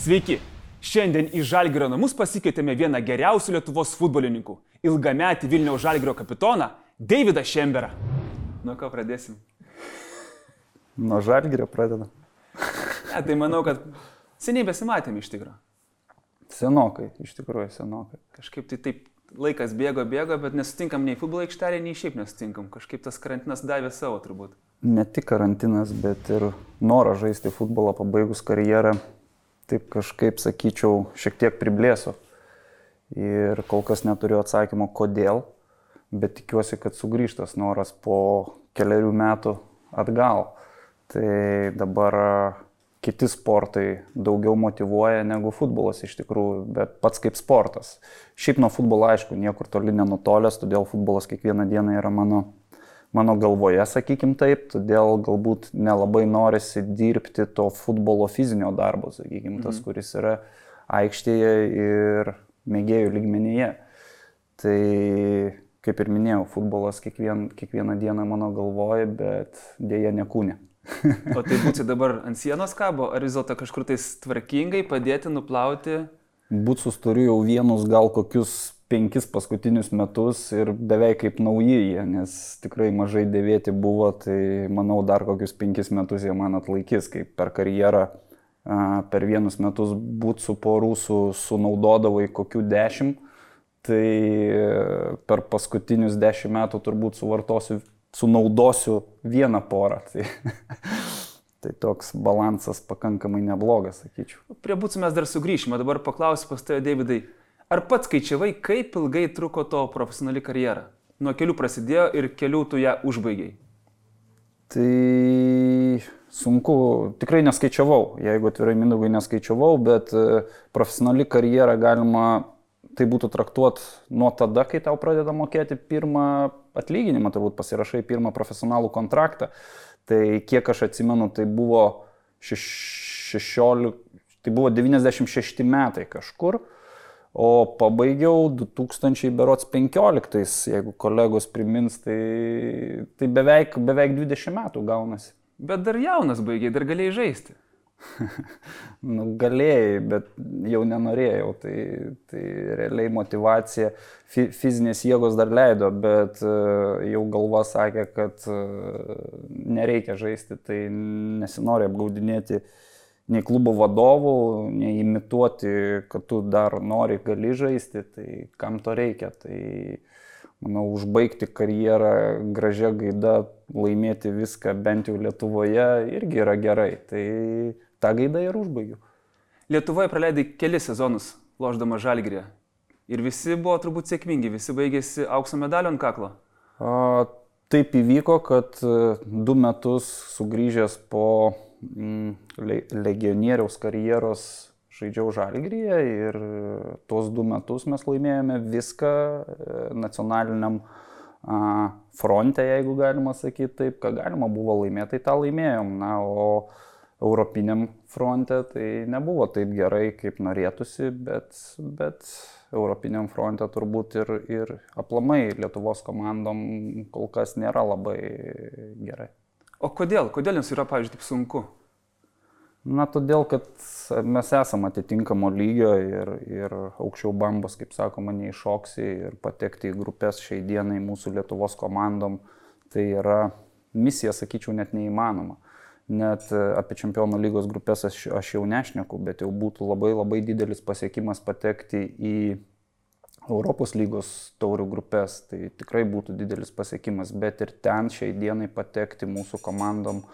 Sveiki! Šiandien į Žalgirio namus pasikvietėme vieną geriausių Lietuvos futbolininkų – ilgametį Vilniaus Žalgirio kapitoną Deividą Šemberą. Nuo ko pradėsim? Nuo Žalgirio pradedam. Tai manau, kad seniai besimatėme iš tikrųjų. Senokai, iš tikrųjų senokai. Kažkaip tai taip laikas bėgo, bet nesutinkam nei futbolo aikštelėje, nei šiaip nesutinkam. Kažkaip tas karantinas davė savo turbūt. Ne tik karantinas, bet ir noras žaisti futbolą pabaigus karjerą. Taip kažkaip, sakyčiau, šiek tiek priblėso. Ir kol kas neturiu atsakymo, kodėl, bet tikiuosi, kad sugrįžtas noras po keliarių metų atgal. Tai dabar kiti sportai daugiau motyvuoja negu futbolas iš tikrųjų, bet pats kaip sportas. Šiaip nuo futbolo, aišku, niekur toli nenutolęs, todėl futbolas kiekvieną dieną yra mano galvoje, sakykim taip, todėl galbūt nelabai norisi dirbti to futbolo fizinio darbo, sakykim, tas, kuris yra aikštėje ir mėgėjų lygmenyje. Tai, kaip ir minėjau, futbolas kiekvieną dieną mano galvoje, bet dėja ne kūne. O tai būti dabar ant sienos kabo, ar vis dėlto kažkur tais tvarkingai padėti, nuplauti? Būtsus turiu jau vienus gal kokius 5 paskutinius metus ir beveik kaip nauji jie, nes tikrai mažai dėvėti buvo, tai manau dar kokius 5 metus jie man atlaikys, kaip per karjerą per vienus metus būtsų porų sunaudodavai kokių 10, tai per paskutinius 10 metų turbūt sunaudosiu vieną porą. Tai toks balansas pakankamai neblogas, sakyčiau. Prie būtsų mes dar sugrįšime, dabar paklausiu pas tave, Deividai. Ar pats skaičiavai, kaip ilgai truko to profesionali karjera? Nuo kelių prasidėjo ir kelių tu ją užbaigiai. Tai sunku, tikrai neskaičiavau, jeigu atvirai Mindaugai neskaičiavau, bet profesionali karjera galima tai būtų traktuoti nuo tada, kai tau pradeda mokėti pirmą atlyginimą, turbūt pasirašai pirmą profesionalų kontraktą. Tai kiek aš atsimenu, tai buvo 96 metai kažkur. O pabaigiau 2015, jeigu kolegos primins, tai beveik 20 metų gaunasi. Bet dar jaunas baigiai, dar galėjai žaisti. Galėjai, bet jau nenorėjau. Tai realiai motyvacija, fizinės jėgos dar leido, bet jau galva sakė, kad nereikia žaisti, tai nesinori apgaudinėti nei klubo vadovų, nei imituoti, kad tu dar nori, gali žaisti, tai kam to reikia. Tai, manau, užbaigti karjerą gražia gaida, laimėti viską bent jau Lietuvoje irgi yra gerai. Tai tą gaidą ir užbaigiu. Lietuvoje praleidai kelis sezonus, lošdama Žalgiryje. Ir visi buvo turbūt sėkmingi, visi baigėsi aukso medalio ant kaklo. Taip įvyko, kad 2 metus sugrįžęs po legionieriaus karjeros žaidžiau Žalgiryje ir tuos 2 metus mes laimėjome viską nacionaliniam fronte, jeigu galima sakyti taip, ką galima buvo laimėti, tai tą laimėjom. Na, o europiniam fronte tai nebuvo taip gerai, kaip norėtųsi, bet europiniam fronte turbūt ir aplamai Lietuvos komandom kol kas nėra labai gerai. O kodėl? Kodėl jums yra, pavyzdžiui, taip sunku? Na, todėl, kad mes esame atitinkamo lygio ir aukščiau bambos, kaip sakoma, neiššoksi ir patekti į grupės šiai dienai mūsų Lietuvos komandom, tai yra misija, sakyčiau, net neįmanoma. Net apie Čempionų lygos grupės aš jau nešneku, bet jau būtų labai didelis pasiekimas patekti į Europos lygos taurių grupės, tai tikrai būtų didelis pasiekimas, bet ir ten šiai dienai patekti mūsų komandom,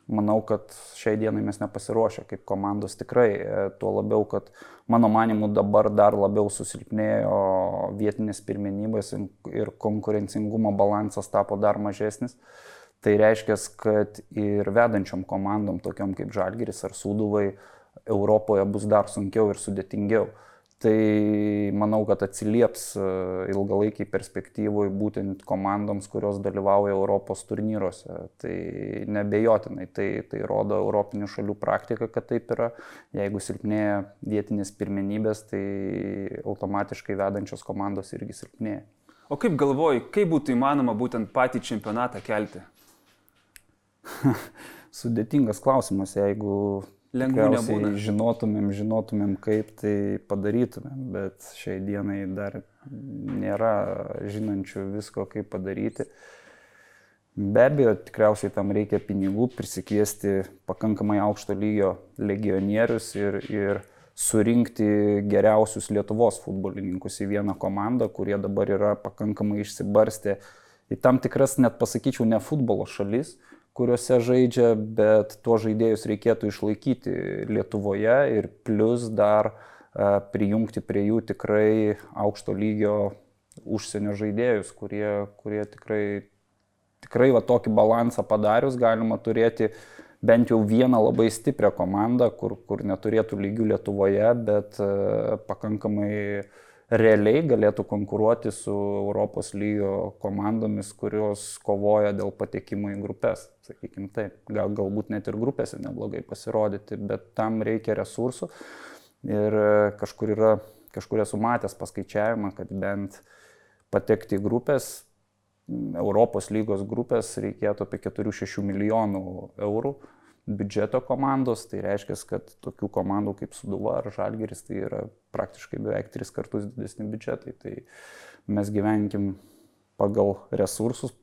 manau, kad šiai dienai mes nepasiruošę kaip komandos tikrai, tuo labiau, kad mano manimu dabar dar labiau susilpnėjo vietinės pirmenybės ir konkurencingumo balansas tapo dar mažesnis. Tai reiškia, kad ir vedančiom komandom, tokiom kaip Žalgiris ar Sūduvai, Europoje bus dar sunkiau ir sudėtingiau. Tai manau, kad atsilieps ilgalaikiai perspektyvoj būtent komandoms, kurios dalyvauja Europos turnyruose. Tai nebejotinai, tai rodo europinių šalių praktika, kad taip yra. Jeigu silpnėja vietinės pirmenybės, tai automatiškai vedančios komandos irgi silpnėja. O kaip galvoji, kaip būtų įmanoma būtent patį čempionatą kelti? Sudėtingas klausimas, jeigu Lengvų nebūna. Žinotumėm, kaip tai padarytumėm, bet šiai dienai dar nėra žinančių visko, kaip padaryti. Be abejo, tikriausiai tam reikia pinigų, prisikviesti pakankamai aukšto lygio legionierius ir surinkti geriausius Lietuvos futbolininkus į vieną komandą, kurie dabar yra pakankamai išsibarstę į tam tikras, net pasakyčiau, ne futbolo šalis, kuriuose žaidžia, bet tuos žaidėjus reikėtų išlaikyti Lietuvoje ir plus dar prijungti prie jų tikrai aukšto lygio užsienio žaidėjus, kurie tikrai va tokį balansą padarius galima turėti bent jau vieną labai stiprią komandą, kur neturėtų lygių Lietuvoje, bet pakankamai realiai galėtų konkuruoti su Europos lygio komandomis, kurios kovoja dėl patekimo į grupės, sakykime taip. Galbūt net ir grupėse neblogai pasirodyti, bet tam reikia resursų. Ir kažkur esu matęs paskaičiavimą, kad bent patekti į grupės, Europos lygos grupės reikėtų apie 4-6 milijonų eurų biudžeto komandos, tai reiškia, kad tokių komandų kaip Sūduva ar Žalgiris tai yra praktiškai beveik 3 kartus didesni biudžetai. Tai mes gyvenkim pagal resursus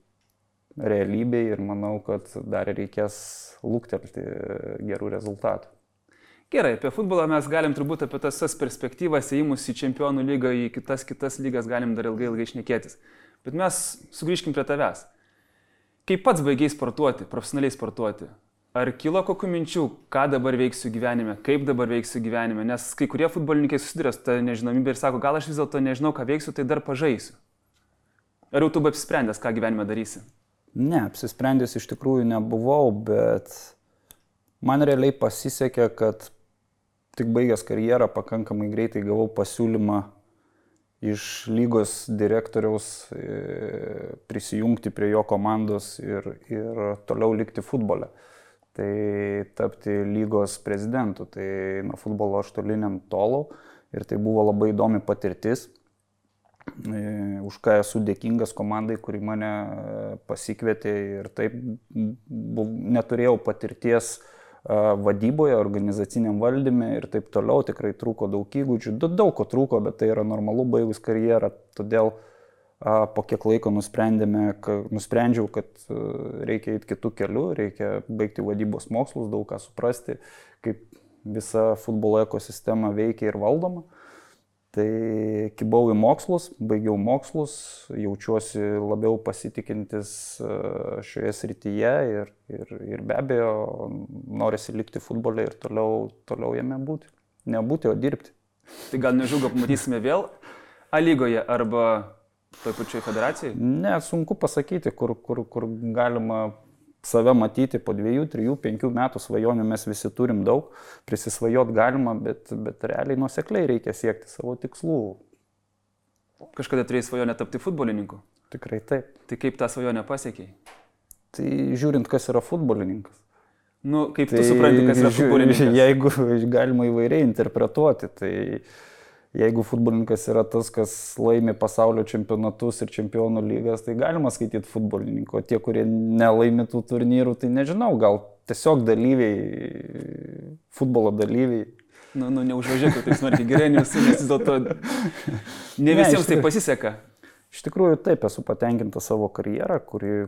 realybėje ir manau, kad dar reikės luktelti gerų rezultatų. Gerai, apie futbolą mes galim turbūt apie tas perspektyvas įėjimus į Čempionų lygą, į kitas lygas galim dar ilgai šnekėtis. Bet mes sugrįžkim prie tavęs. Kaip pats baigiai sportuoti, profesionaliai sportuoti? Ar kilo kokių minčių, ką dabar veiksiu gyvenime, kaip dabar veiksiu gyvenime? Nes kai kurie futbolininkai susiduria su tą nežinomybę ir sako, gal aš vis dėlto nežinau, ką veiksiu, tai dar pažaisiu. Ar jau tu apsisprendęs, ką gyvenime darysi? Ne, apsisprendęs iš tikrųjų nebuvau, bet man realiai pasisekė, kad tik baigęs karjerą pakankamai greitai gavau pasiūlymą iš lygos direktoriaus prisijungti prie jo komandos ir toliau likti futbole. Tai tapti lygos prezidentu. Tai nuo futbolo aš toli nentolau ir tai buvo labai įdomi patirtis, už ką esu dėkingas komandai, kuri mane pasikvietė ir taip neturėjau patirties vadyboje, organizaciniam valdyme ir taip toliau, tikrai trūko daug įgūdžių, daug ko trūko, bet tai yra normalu baigus karjerą, todėl po kiek laiko nusprendžiau, kad reikia eiti kitų kelių, reikia baigti vadybos mokslus, daug ką suprasti, kaip visa futbolo ekosistema veikia ir valdoma. Tai kibau į mokslus, baigiau mokslus, jaučiuosi labiau pasitikintis šioje srityje ir be abejo norisi likti futbole ir toliau jame būti. Nebūti, o dirbti. Tai gal nežugo pamatysime vėl A lygoje arba toj pačioj federacijai? Ne, sunku pasakyti, kur galima save matyti po 2, 3, 5 metų. Svajonių mes visi turim daug, prisisvajot galima, bet realiai nuosekliai reikia siekti savo tikslų. Kažkada turėjai svajonę tapti futbolininku? Tikrai taip. Tai kaip tą svajonę pasiekei? Tai žiūrint, kas yra futbolininkas. Nu, kaip tu supranti, kas yra futbolininkas? Jeigu galima įvairiai interpretuoti, tai jeigu futbolininkas yra tas, kas laimi pasaulio čempionatus ir čempionų lygas, tai galima skaityti futbolininku. O tie, kurie nelaimi tų turnyrų, tai nežinau, gal tiesiog dalyviai, futbolo dalyviai. Nu, neužvažiuoju, tai smarkiai gerai, nes vis dėlto ne visiems tai pasiseka. Iš tikrųjų taip, esu patenkinta savo karjerą, kuri,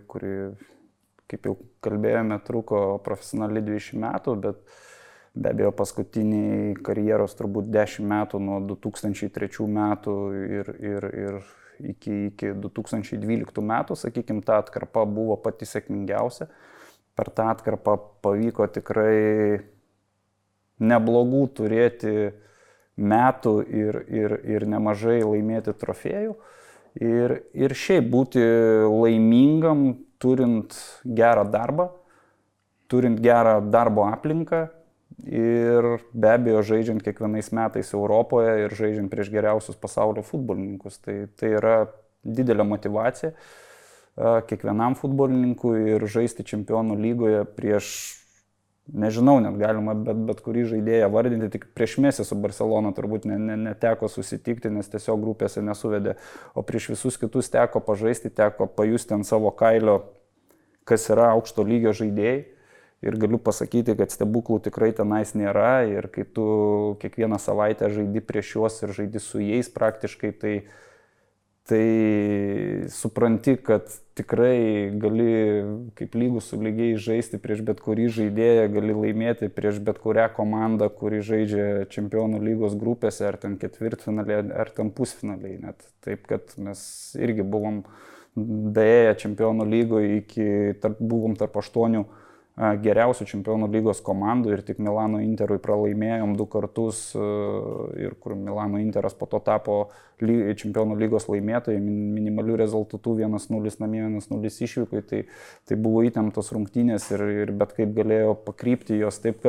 kaip jau kalbėjome, truko profesionaliai 20 metų, bet be abejo paskutiniai karjeros turbūt 10 metų nuo 2003 metų ir iki 2012 metų, sakykime, ta atkarpa buvo pati sėkmingiausia. Per tą atkarpą pavyko tikrai neblogų turėti metų ir nemažai laimėti trofėjų. Ir šiaip būti laimingam, turint gerą darbą, turint gerą darbo aplinką ir be abejo žaidžiant kiekvienais metais Europoje ir žaidžiant prieš geriausius pasaulio futbolininkus. Tai yra didelė motyvacija kiekvienam futbolininkui ir žaisti Čempionų lygoje prieš, nežinau, net galima bet kurį žaidėją vardinti, tik prieš Mesį su Barcelona turbūt neteko susitikti, nes tiesiog grupėse nesuvedė, o prieš visus kitus teko pažaisti, teko pajusti ant savo kailio, kas yra aukšto lygio žaidėjai. ir galiu pasakyti, kad stebuklų tikrai tenais nėra ir kai tu kiekvieną savaitę žaidi prieš juos ir žaidi su jais praktiškai, tai supranti, kad tikrai gali kaip lygus su lygiai žaisti prieš bet kurį žaidėją, gali laimėti prieš bet kurią komandą, kuri žaidžia Čempionų lygos grupėse, ar ten ketvirtfinaliai, ar ten pusfinaliai. Net. Taip, kad mes irgi buvom daėję Čempionų lygoje, buvom tarp 8 geriausių Čempionų lygos komandų ir tik Milano Interui pralaimėjom 2 kartus ir kur Milano Interas po to tapo Čempionų lygos laimėtojai minimalių rezultatų 1-0 namie, 1-0 išvykai, tai buvo įtemptos rungtynės ir bet kaip galėjo pakrypti jos. Taip,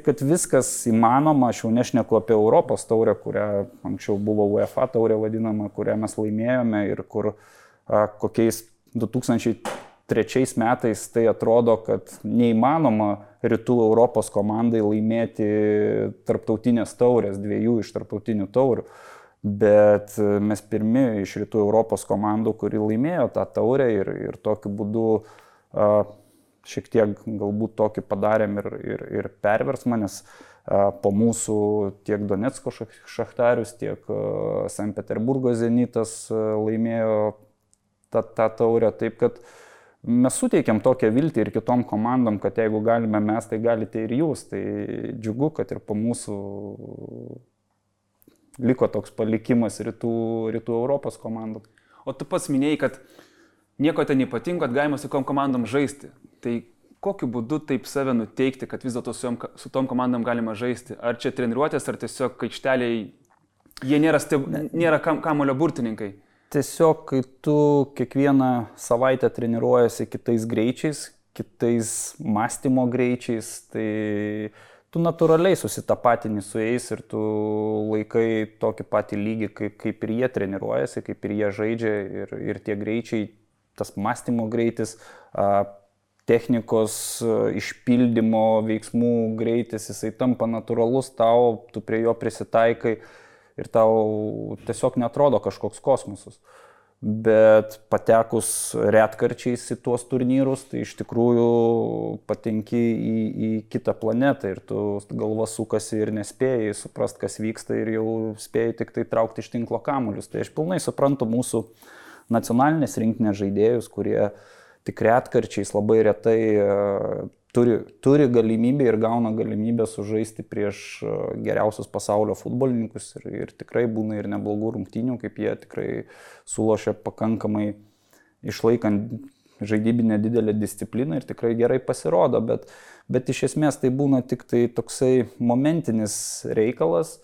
kad viskas įmanoma, aš jau nešneku apie Europos taurę, kurią anksčiau buvo UEFA taurė vadinama, kurią mes laimėjome ir kur kokiais 2003 metais tai atrodo, kad neįmanoma Rytų Europos komandai laimėti tarptautinės taurės, 2 iš tarptautinių taurių. Bet mes pirmi iš Rytų Europos komandų, kuri laimėjo tą taurę ir tokiu būdu šiek tiek galbūt tokį padarėm ir perversmą, nes po mūsų tiek Donecko Šachtarius, tiek Sankt Peterburgo Zenitas laimėjo tą taurę. Taip, kad mes suteikėm tokią viltį ir kitom komandom, kad jeigu galime mes, tai galite ir jūs. Tai džiugu, kad ir po mūsų liko toks palikimas rytų Europos komandų. O tu pats minėjai, kad nieko ten ypatingo, kad galima su kom komandom žaisti. Tai kokiu būdu taip save nuteikti, kad vis dėlto su tom komandom galima žaisti? Ar čia treniruotės, ar tiesiog aikšteliai, jie nėra kamulio burtininkai? Tiesiog, kai tu kiekvieną savaitę treniruojasi kitais greičiais, kitais mąstymo greičiais, tai tu natūraliai susitapatini su jais ir tu laikai tokį patį lygį, kaip ir jie treniruojasi, kaip ir jie žaidžia ir tie greičiai, tas mąstymo greitis, technikos išpildymo veiksmų greitis, jisai tampa natūralus tau, tu prie jo prisitaikai. Ir tau tiesiog netrodo kažkoks kosmosas. Bet patekus retkarčiais į tuos turnyrus, tai iš tikrųjų patenki į kitą planetą ir tu galva sukasi ir nespėjai suprast, kas vyksta ir jau spėjai tik tai traukti iš tinklo kamuolius. Tai aš pilnai suprantu mūsų nacionalinės rinktinės žaidėjus, kurie tik retkarčiais labai retai turi galimybę ir gauna galimybę sužaisti prieš geriausius pasaulio futbolininkus ir tikrai būna ir neblogų rungtynių, kaip jie tikrai sulošia pakankamai išlaikant žaidybinę didelę discipliną ir tikrai gerai pasirodo, bet iš esmės tai būna tik tai toksai momentinis reikalas,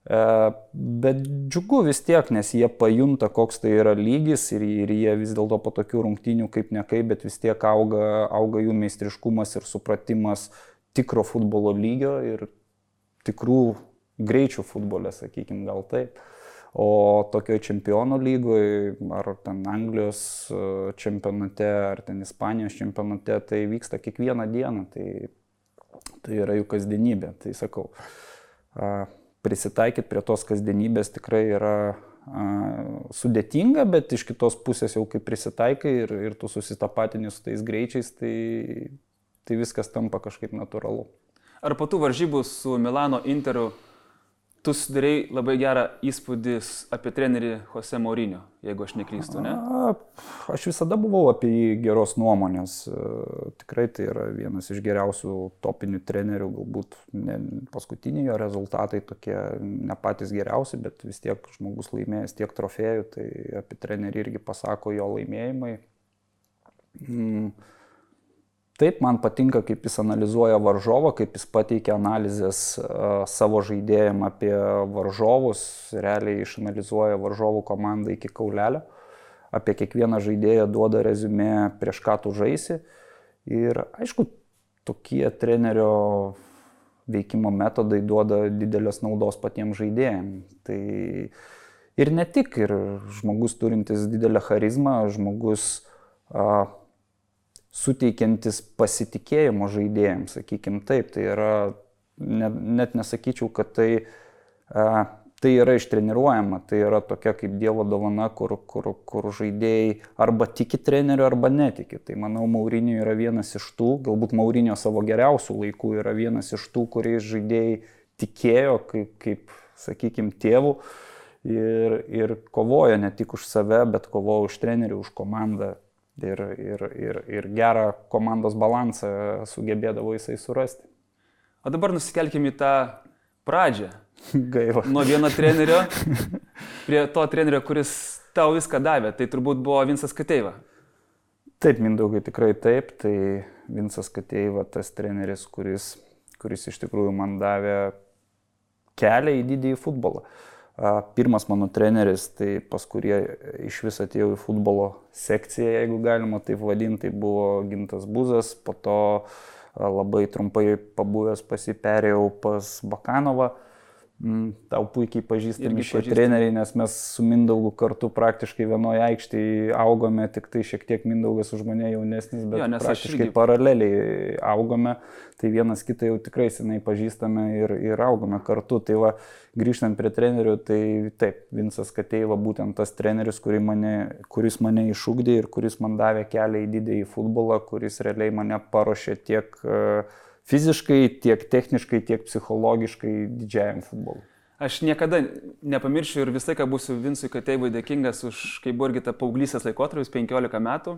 bet džiugu vis tiek, nes jie pajunta, koks tai yra lygis ir jie vis dėlto po tokių rungtynių kaip nekai, bet vis tiek auga jų meistriškumas ir supratimas tikro futbolo lygio ir tikrų greičių futbole, sakykim, gal taip. O tokioje Čempionų lygoje, ar ten Anglijos čempionate, ar ten Ispanijos čempionate, tai vyksta kiekvieną dieną, tai yra jų kasdienybė. Tai sakau, prisitaikyti prie tos kasdienybės tikrai yra sudėtinga, bet iš kitos pusės jau kai prisitaikai ir tu susitapatini su tais greičiais, tai viskas tampa kažkaip natūralu. Ar po tų varžybų su Milano Interu tu sudarei labai gerą įspūdį apie trenerį Jose Mourinho, jeigu aš neklystu, ne? Aš visada buvau apie jį geros nuomonės. Tikrai tai yra vienas iš geriausių topinių trenerių, galbūt paskutiniai jo rezultatai tokie ne patys geriausi, bet vis tiek žmogus laimėjęs tiek trofėjų, tai apie trenerį irgi pasako jo laimėjimai. Taip, man patinka, kaip jis analizuoja varžovą, kaip jis pateikia analizės savo žaidėjim apie varžovus, realiai išanalizuoja varžovų komandą iki kaulelio, apie kiekvieną žaidėją duoda reziumė, prieš ką tu žaisi. Ir aišku, tokie trenerio veikimo metodai duoda didelės naudos patiems žaidėjams. Tai ir ne tik, ir žmogus turintis didelę charizmą, žmogus suteikiantis pasitikėjimo žaidėjams, sakykim taip, tai yra, net nesakyčiau, kad tai tai yra ištreniruojama, tai yra tokia kaip Dievo dovana, kur žaidėjai arba tiki treneriu, arba netiki. Tai manau, Mourinho yra vienas iš tų, galbūt Mourinho savo geriausių laikų yra vienas iš tų, kuriais žaidėjai tikėjo kaip sakykime, tėvų ir kovojo ne tik už save, bet kovojo už trenerių, už komandą ir gerą komandos balansą sugebėdavo jisai surasti. O dabar nusikelkime į tą pradžią. Gaila. Nuo vieno trenerio prie to trenerio, kuris tau viską davė. Tai turbūt buvo Vincas Kateiva. Taip, Mindaugai, tikrai taip. Tai Vincas Kateiva, tas treneris, kuris iš tikrųjų man davė kelią į didįjį futbolą. Pirmas mano treneris, tai pas kurie iš vis atėjau į futbolo sekciją, jeigu galima taip vadinti, tai buvo Gintas Buzas. Po to labai trumpai pabuvęs perėjau pas Bakanovą. Tau puikiai pažįstami šie treneriai, nes mes su Mindaugu kartu praktiškai vienoje aikštėje augome, tik tai šiek tiek Mindaugas už mane jaunesnis, bet praktiškai paraleliai augome. Tai vienas kitą jau tikrai senai pažįstame ir augome kartu. Tai va, grįžtant prie trenerių, tai taip, Vincas Kateiva būtent tas treneris, kuris mane išugdė ir kuris man davė kelią į didįjį futbolą, kuris realiai mane paruošė tiek fiziškai, tiek techniškai, tiek psichologiškai didžiajam futbolui. Aš niekada nepamiršiu ir visą laiką būsiu Vincui Kateivui dėkingas už, kai buvo irgi ta paauglystės laikotarpis, 15 metų.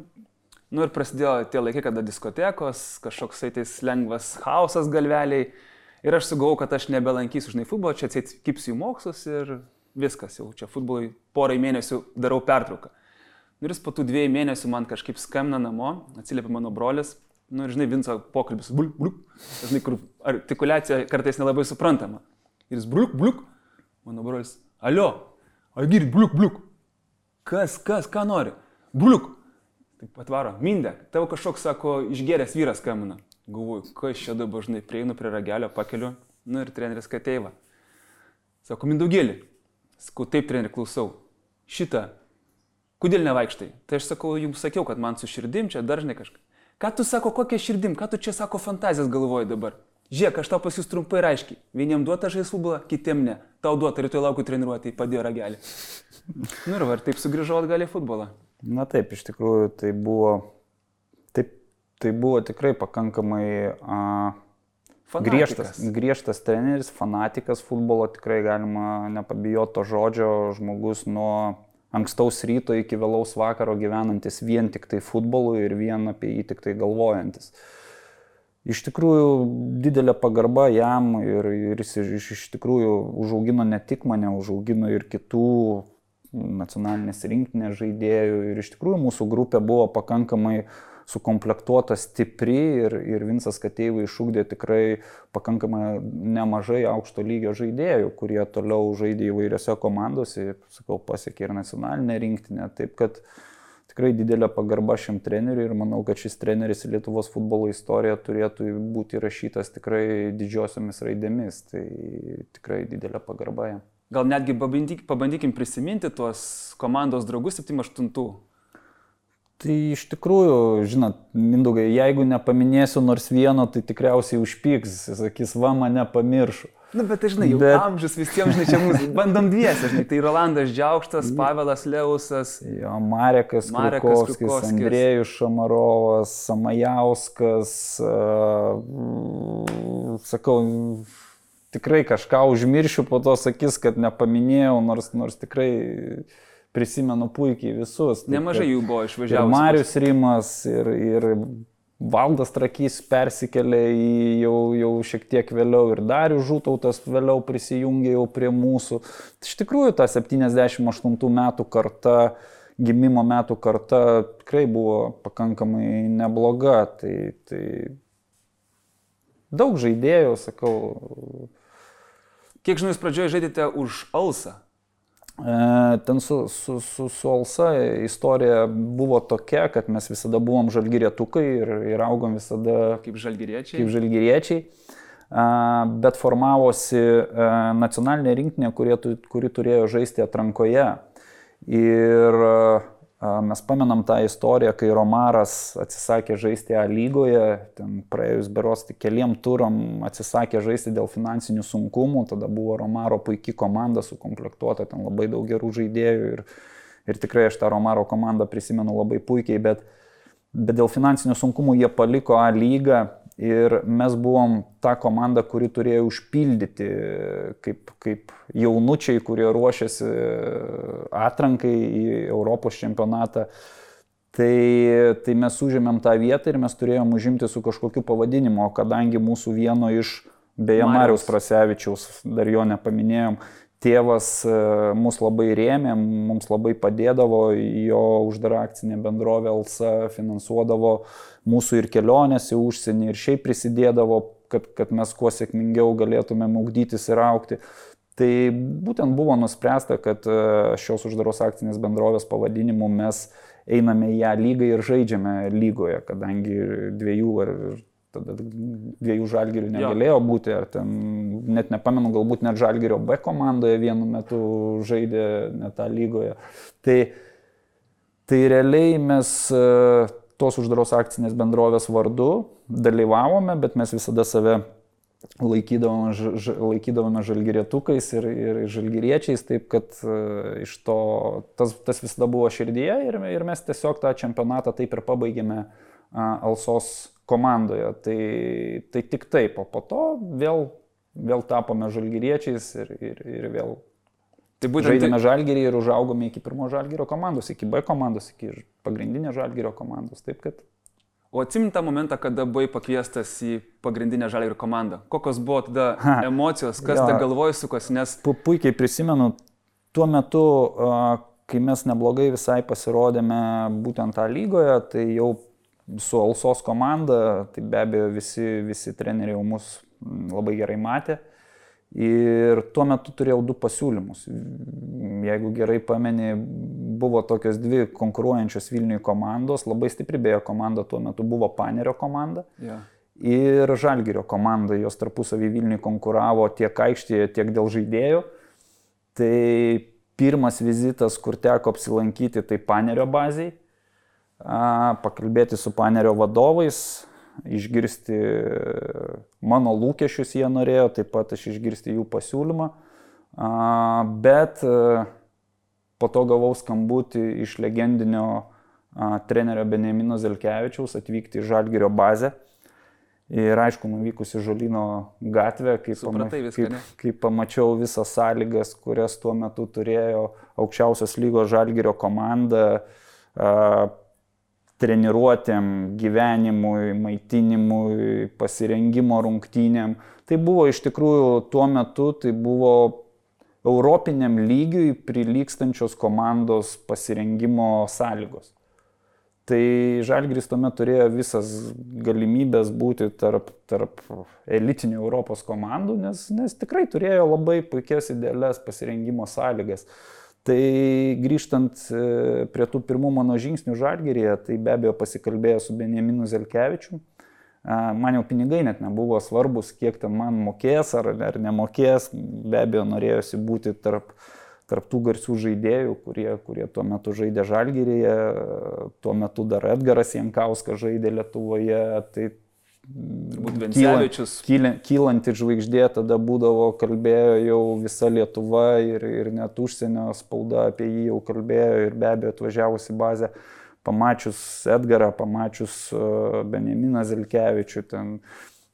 Ir prasidėjo tie laikai, kada diskotekos, kažkoks tais lengvas chaosas galveliai. Ir aš sugalvojau, kad aš nebelankysiu futbolo, čia atsitipsiu į mokslus ir viskas, jau čia futbolui porai mėnesių darau pertrauką. Ir jis po tų 2 mėnesių man kažkaip skambina namo, atsiliepia mano brolis. Ir žinai, Vinco pokalbis, bliuk, žinai, kur artikuliacija kartais nelabai suprantama. Ir jis bliuk, mano brolis, alio, girdit, bliuk, ką nori, bliuk. Taip atvaro, Mindė, tavo kažkoks, sako, išgėręs vyras skambina. Galvoju, kas čia dabar, žinai, prieinu prie ragelio, pakeliu, ir treneris Kateiva. Sako, Mindaugėlį, sakau, taip, treneri, klausau, šitą, kodėl nevaikštai? Tai aš sakau, jums sakiau, kad man su širdim čia dažnai kažką. Ką tu sako, kokia širdim, ką tu čia sako fantazijas galvoji dabar? Žiūrėk, aš tau pas jūs trumpai ir aiškiai. Vieniem duota žais futbolą, kitiem ne. Tau duota, rytoj laukiu treniruoti, padėjo ragelį. Ir va, taip sugrįžau atgal į futbolą. Na taip, iš tikrųjų, tai buvo tikrai pakankamai griežtas treneris, fanatikas futbolo, tikrai galima nepabijoti to žodžio, žmogus nuo ankstaus ryto iki vėlaus vakaro gyvenantis vien tik tai futbolu ir vien apie jį tik tai galvojantis. Iš tikrųjų, didelė pagarba jam ir jis iš tikrųjų užaugino ne tik mane, užaugino ir kitų nacionalinės rinktinės žaidėjų. Ir iš tikrųjų mūsų grupė buvo pakankamai sukomplektuota stipri ir Vincas Kateiva išugdė tikrai pakankamai nemažai aukšto lygio žaidėjų, kurie toliau žaidė įvairiose komandose, sakau, pasiekė ir nacionalinę rinktinę. Taip kad tikrai didelė pagarba šiam treneriui ir manau, kad šis treneris į Lietuvos futbolo istoriją turėtų būti rašytas tikrai didžiosiomis raidėmis. Tai tikrai didelė pagarba jam. Gal netgi pabandykim prisiminti tuos komandos draugus 78. Tai iš tikrųjų, žinot, Mindaugai, jeigu nepaminėsiu nors vieno, tai tikriausiai užpyks, sakys, va, mane pamiršo. Bet tai, žinai, jau amžius visiems, žinai, čia mūsų bandom dviesi, žinai, tai Rolandas Džiaukštas, Pavelas Leusas, jo, Marekas Krukovskis, Andrėjus Šamarovas, Samajauskas, sakau, tikrai kažką užmiršiu, po to sakys, kad nepaminėjau, nors tikrai prisimenu puikiai visus. Nemažai jų buvo išvažiavus. Ir Marius Rimas, ir Valdas Trakys persikėlė jau šiek tiek vėliau, ir Darius Žutautas vėliau prisijungė jau prie mūsų. Iš tikrųjų, ta 78 metų karta, gimimo metų karta tikrai buvo pakankamai nebloga. Tai daug žaidėjų, sakau. Kiek žinau, jūs pradžioje žaidėte už Alsą? Ten su Alsa istorija buvo tokia, kad mes visada buvom žalgirietukai ir augom visada kaip žalgiriečiai. Bet formavosi nacionalinė rinktinė, kuri turėjo žaisti atrankoje. Ir Mes pamenam tą istoriją, kai Romaras atsisakė žaisti A lygoje, ten praėjus beros tik keliem turam atsisakė žaisti dėl finansinių sunkumų, tada buvo Romaro puikiai komanda sukomplektuota, ten labai daug gerų žaidėjų ir tikrai aš tą Romaro komandą prisimenu labai puikiai, bet dėl finansinių sunkumų jie paliko A lygą ir mes buvom ta komanda, kuri turėjo užpildyti kaip jaunučiai, kurie ruošiasi atrankai į Europos čempionatą. Tai mes užėmėm tą vietą ir mes turėjom užimti su kažkokiu pavadinimu, kadangi mūsų vieno iš, beje, Mariaus Prasevičiaus, dar jo nepaminėjom, tėvas mus labai rėmė, mums labai padėdavo, jo uždara akcinė bendrovė Alsa finansuodavo mūsų ir kelionės į užsienį ir šiaip prisidėdavo, kad mes kuo sėkmingiau galėtumėm ugdytis ir augti. Tai būtent buvo nuspręsta, kad šios uždaros akcinės bendrovės pavadinimu mes einame į A lygą ir žaidžiame lygoje, kadangi dviejų Žalgirių negalėjo būti, ar ten, net nepamenu, galbūt net Žalgirio B komandoje vienu metu žaidė net tą lygoje. Tai realiai mes tos uždaros akcinės bendrovės vardu dalyvavome, bet mes visada save laikydavome žalgirietukais ir žalgiriečiais, taip kad iš to tas visada buvo širdyje ir mes tiesiog tą čempionatą taip ir pabaigėme Alsos komandoje. Tai tik taip, o po to vėl tapome žalgiriečiais ir vėl žaidėme Žalgirį ir užaugome iki pirmo Žalgirio komandos, iki B komandos, iki pagrindinės Žalgirio komandos. Taip kad... O atsimint tą momentą, kada buvai pakviestas į pagrindinę Žalgirio komandą? Kokios buvo tada emocijos, kas ta galvoj sukos, nes... Puikiai prisimenu, tuo metu, kai mes neblogai visai pasirodėme būtent tą lygoje, tai jau su Alsos komanda, tai be abejo visi treneriai jau mus labai gerai matė. Ir tuo metu turėjau 2 pasiūlymus. Jeigu gerai pameni, buvo tokios 2 konkuruojančios Vilniui komandos, labai stipri beje komanda tuo metu buvo Panerio komanda ir Žalgirio komanda, jos tarpusavį Vilniui konkuravo tiek aikštėje, tiek dėl žaidėjų. Tai pirmas vizitas, kur teko apsilankyti, tai Panerio bazėj, pakalbėti su Panerio vadovais, išgirsti mano lūkesčius jie norėjo, taip pat aš išgirsti jų pasiūlymą, bet po to gavau skambutį iš legendinio trenerio Benjamino Zelkevičiaus atvykti į Žalgirio bazę ir aišku, nuvykus į Žolyno gatvę, kai pamačiau visas sąlygas, kurias tuo metu turėjo aukščiausios lygos Žalgirio komanda, treniruotėm, gyvenimui, maitinimui, pasirengimo rungtynėm. Tai buvo iš tikrųjų tuo metu, tai buvo europiniam lygiui prilygstančios komandos pasirengimo sąlygos. Tai Žalgiris tuomet turėjo visas galimybės būti tarp elitinių Europos komandų, nes tikrai turėjo labai puikias idealias pasirengimo sąlygas. Tai grįžtant prie tų pirmų mano žingsnių Žalgiryje, tai be abejo pasikalbėjo su Benjaminu Zelkevičium. Man jau pinigai net nebuvo svarbus, kiek ten man mokės ar nemokės. Be abejo norėjosi būti tarp tų garsių žaidėjų, kurie tuo metu žaidė Žalgiryje. Tuo metu dar Edgaras Jankauskas žaidė Lietuvoje. Tai kylanti žvaigždė tada būdavo, kalbėjo jau visa Lietuva ir net užsienio spauda apie jį jau kalbėjo ir be abejo atvažiavus į bazę, pamačius Edgarą, pamačius Benjaminą Zelkevičių, ten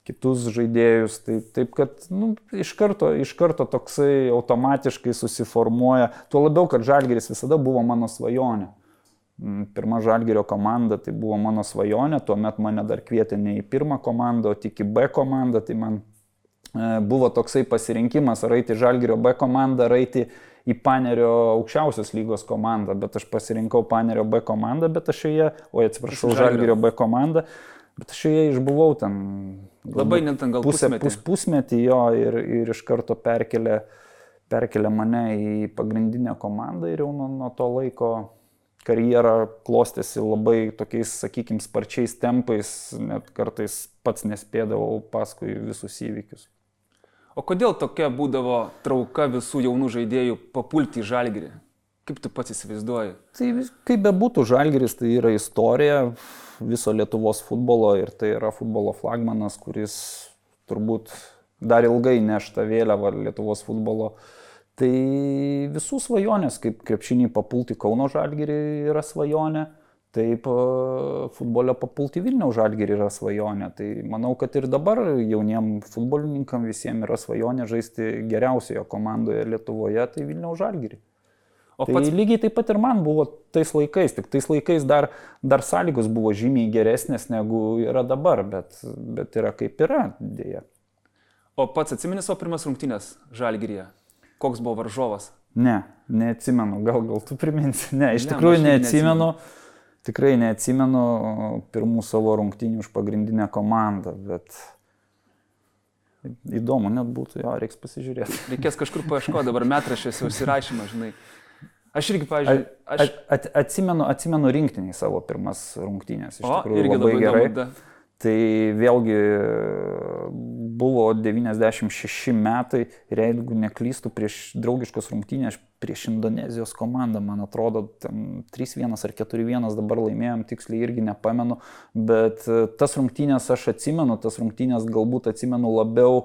kitus žaidėjus, taip kad iš karto toksai automatiškai susiformuoja, tuo labiau, kad Žalgiris visada buvo mano svajonė. Pirma Žalgirio komanda tai buvo mano svajonė, tuomet mane dar kvietė ne į pirmą komandą, o tik į B komandą, tai man buvo toksai pasirinkimas ar eiti Žalgirio B komandą, ar eiti į Panerio aukščiausios lygos komandą, bet aš pasirinkau Panerio B komandą, bet aš Žalgirio B komandą, bet aš joje išbuvau ten labai net gal pusmetį jo ir iš karto perkelė mane į pagrindinę komandą ir jau nuo to laiko karjera klostėsi labai tokiais, sakykime, sparčiais tempais, net kartais pats nespėdavau paskui visus įvykius. O kodėl tokia būdavo trauka visų jaunų žaidėjų papulti į Žalgirį? Kaip tu pats įsivaizduoji? Tai kaip bebūtų, Žalgiris tai yra istorija viso Lietuvos futbolo ir tai yra futbolo flagmanas, kuris turbūt dar ilgai neš tą vėliavą Lietuvos futbolo. Tai visų svajonės, kaip krepšinį papulti Kauno Žalgirį yra svajonė, taip futbolio papulti Vilniaus Žalgirį yra svajonė. Tai manau, kad ir dabar jauniem futbolininkam visiems yra svajonė žaisti geriausioje komandoje Lietuvoje, tai Vilniaus Žalgirį. Tai pats... lygiai taip pat ir man buvo tais laikais, tik tais laikais dar sąlygos buvo žymiai geresnės negu yra dabar, bet yra kaip yra, dėja. O pats atsimeni savo pirmas rungtynės Žalgiryje? Koks buvo varžovas? Ne, neatsimenu, gal tu priminsi. Ne, iš tikrųjų neatsimenu. Tikrai neatsimenu pirmų savo rungtynių už pagrindinę komandą, bet įdomu net būtų, jo, reiks pasižiūrėti. Reikės kažkur paieškoti, dabar metraščiuose užsirašymą, žinai. Aš irgi, pavyzdžiui... Atsimenu rinktiniai savo pirmas rungtynės, iš tikrųjų irgi labai gerai. Įdomu, Tai vėlgi buvo 96 metai ir jeigu neklystu prieš draugiškos rungtynės prieš Indonezijos komandą, man atrodo, 3-1 ar 4-1 dabar laimėjom, tiksliai irgi nepamenu, bet tas rungtynės aš atsimenu, tas rungtynės galbūt atsimenu labiau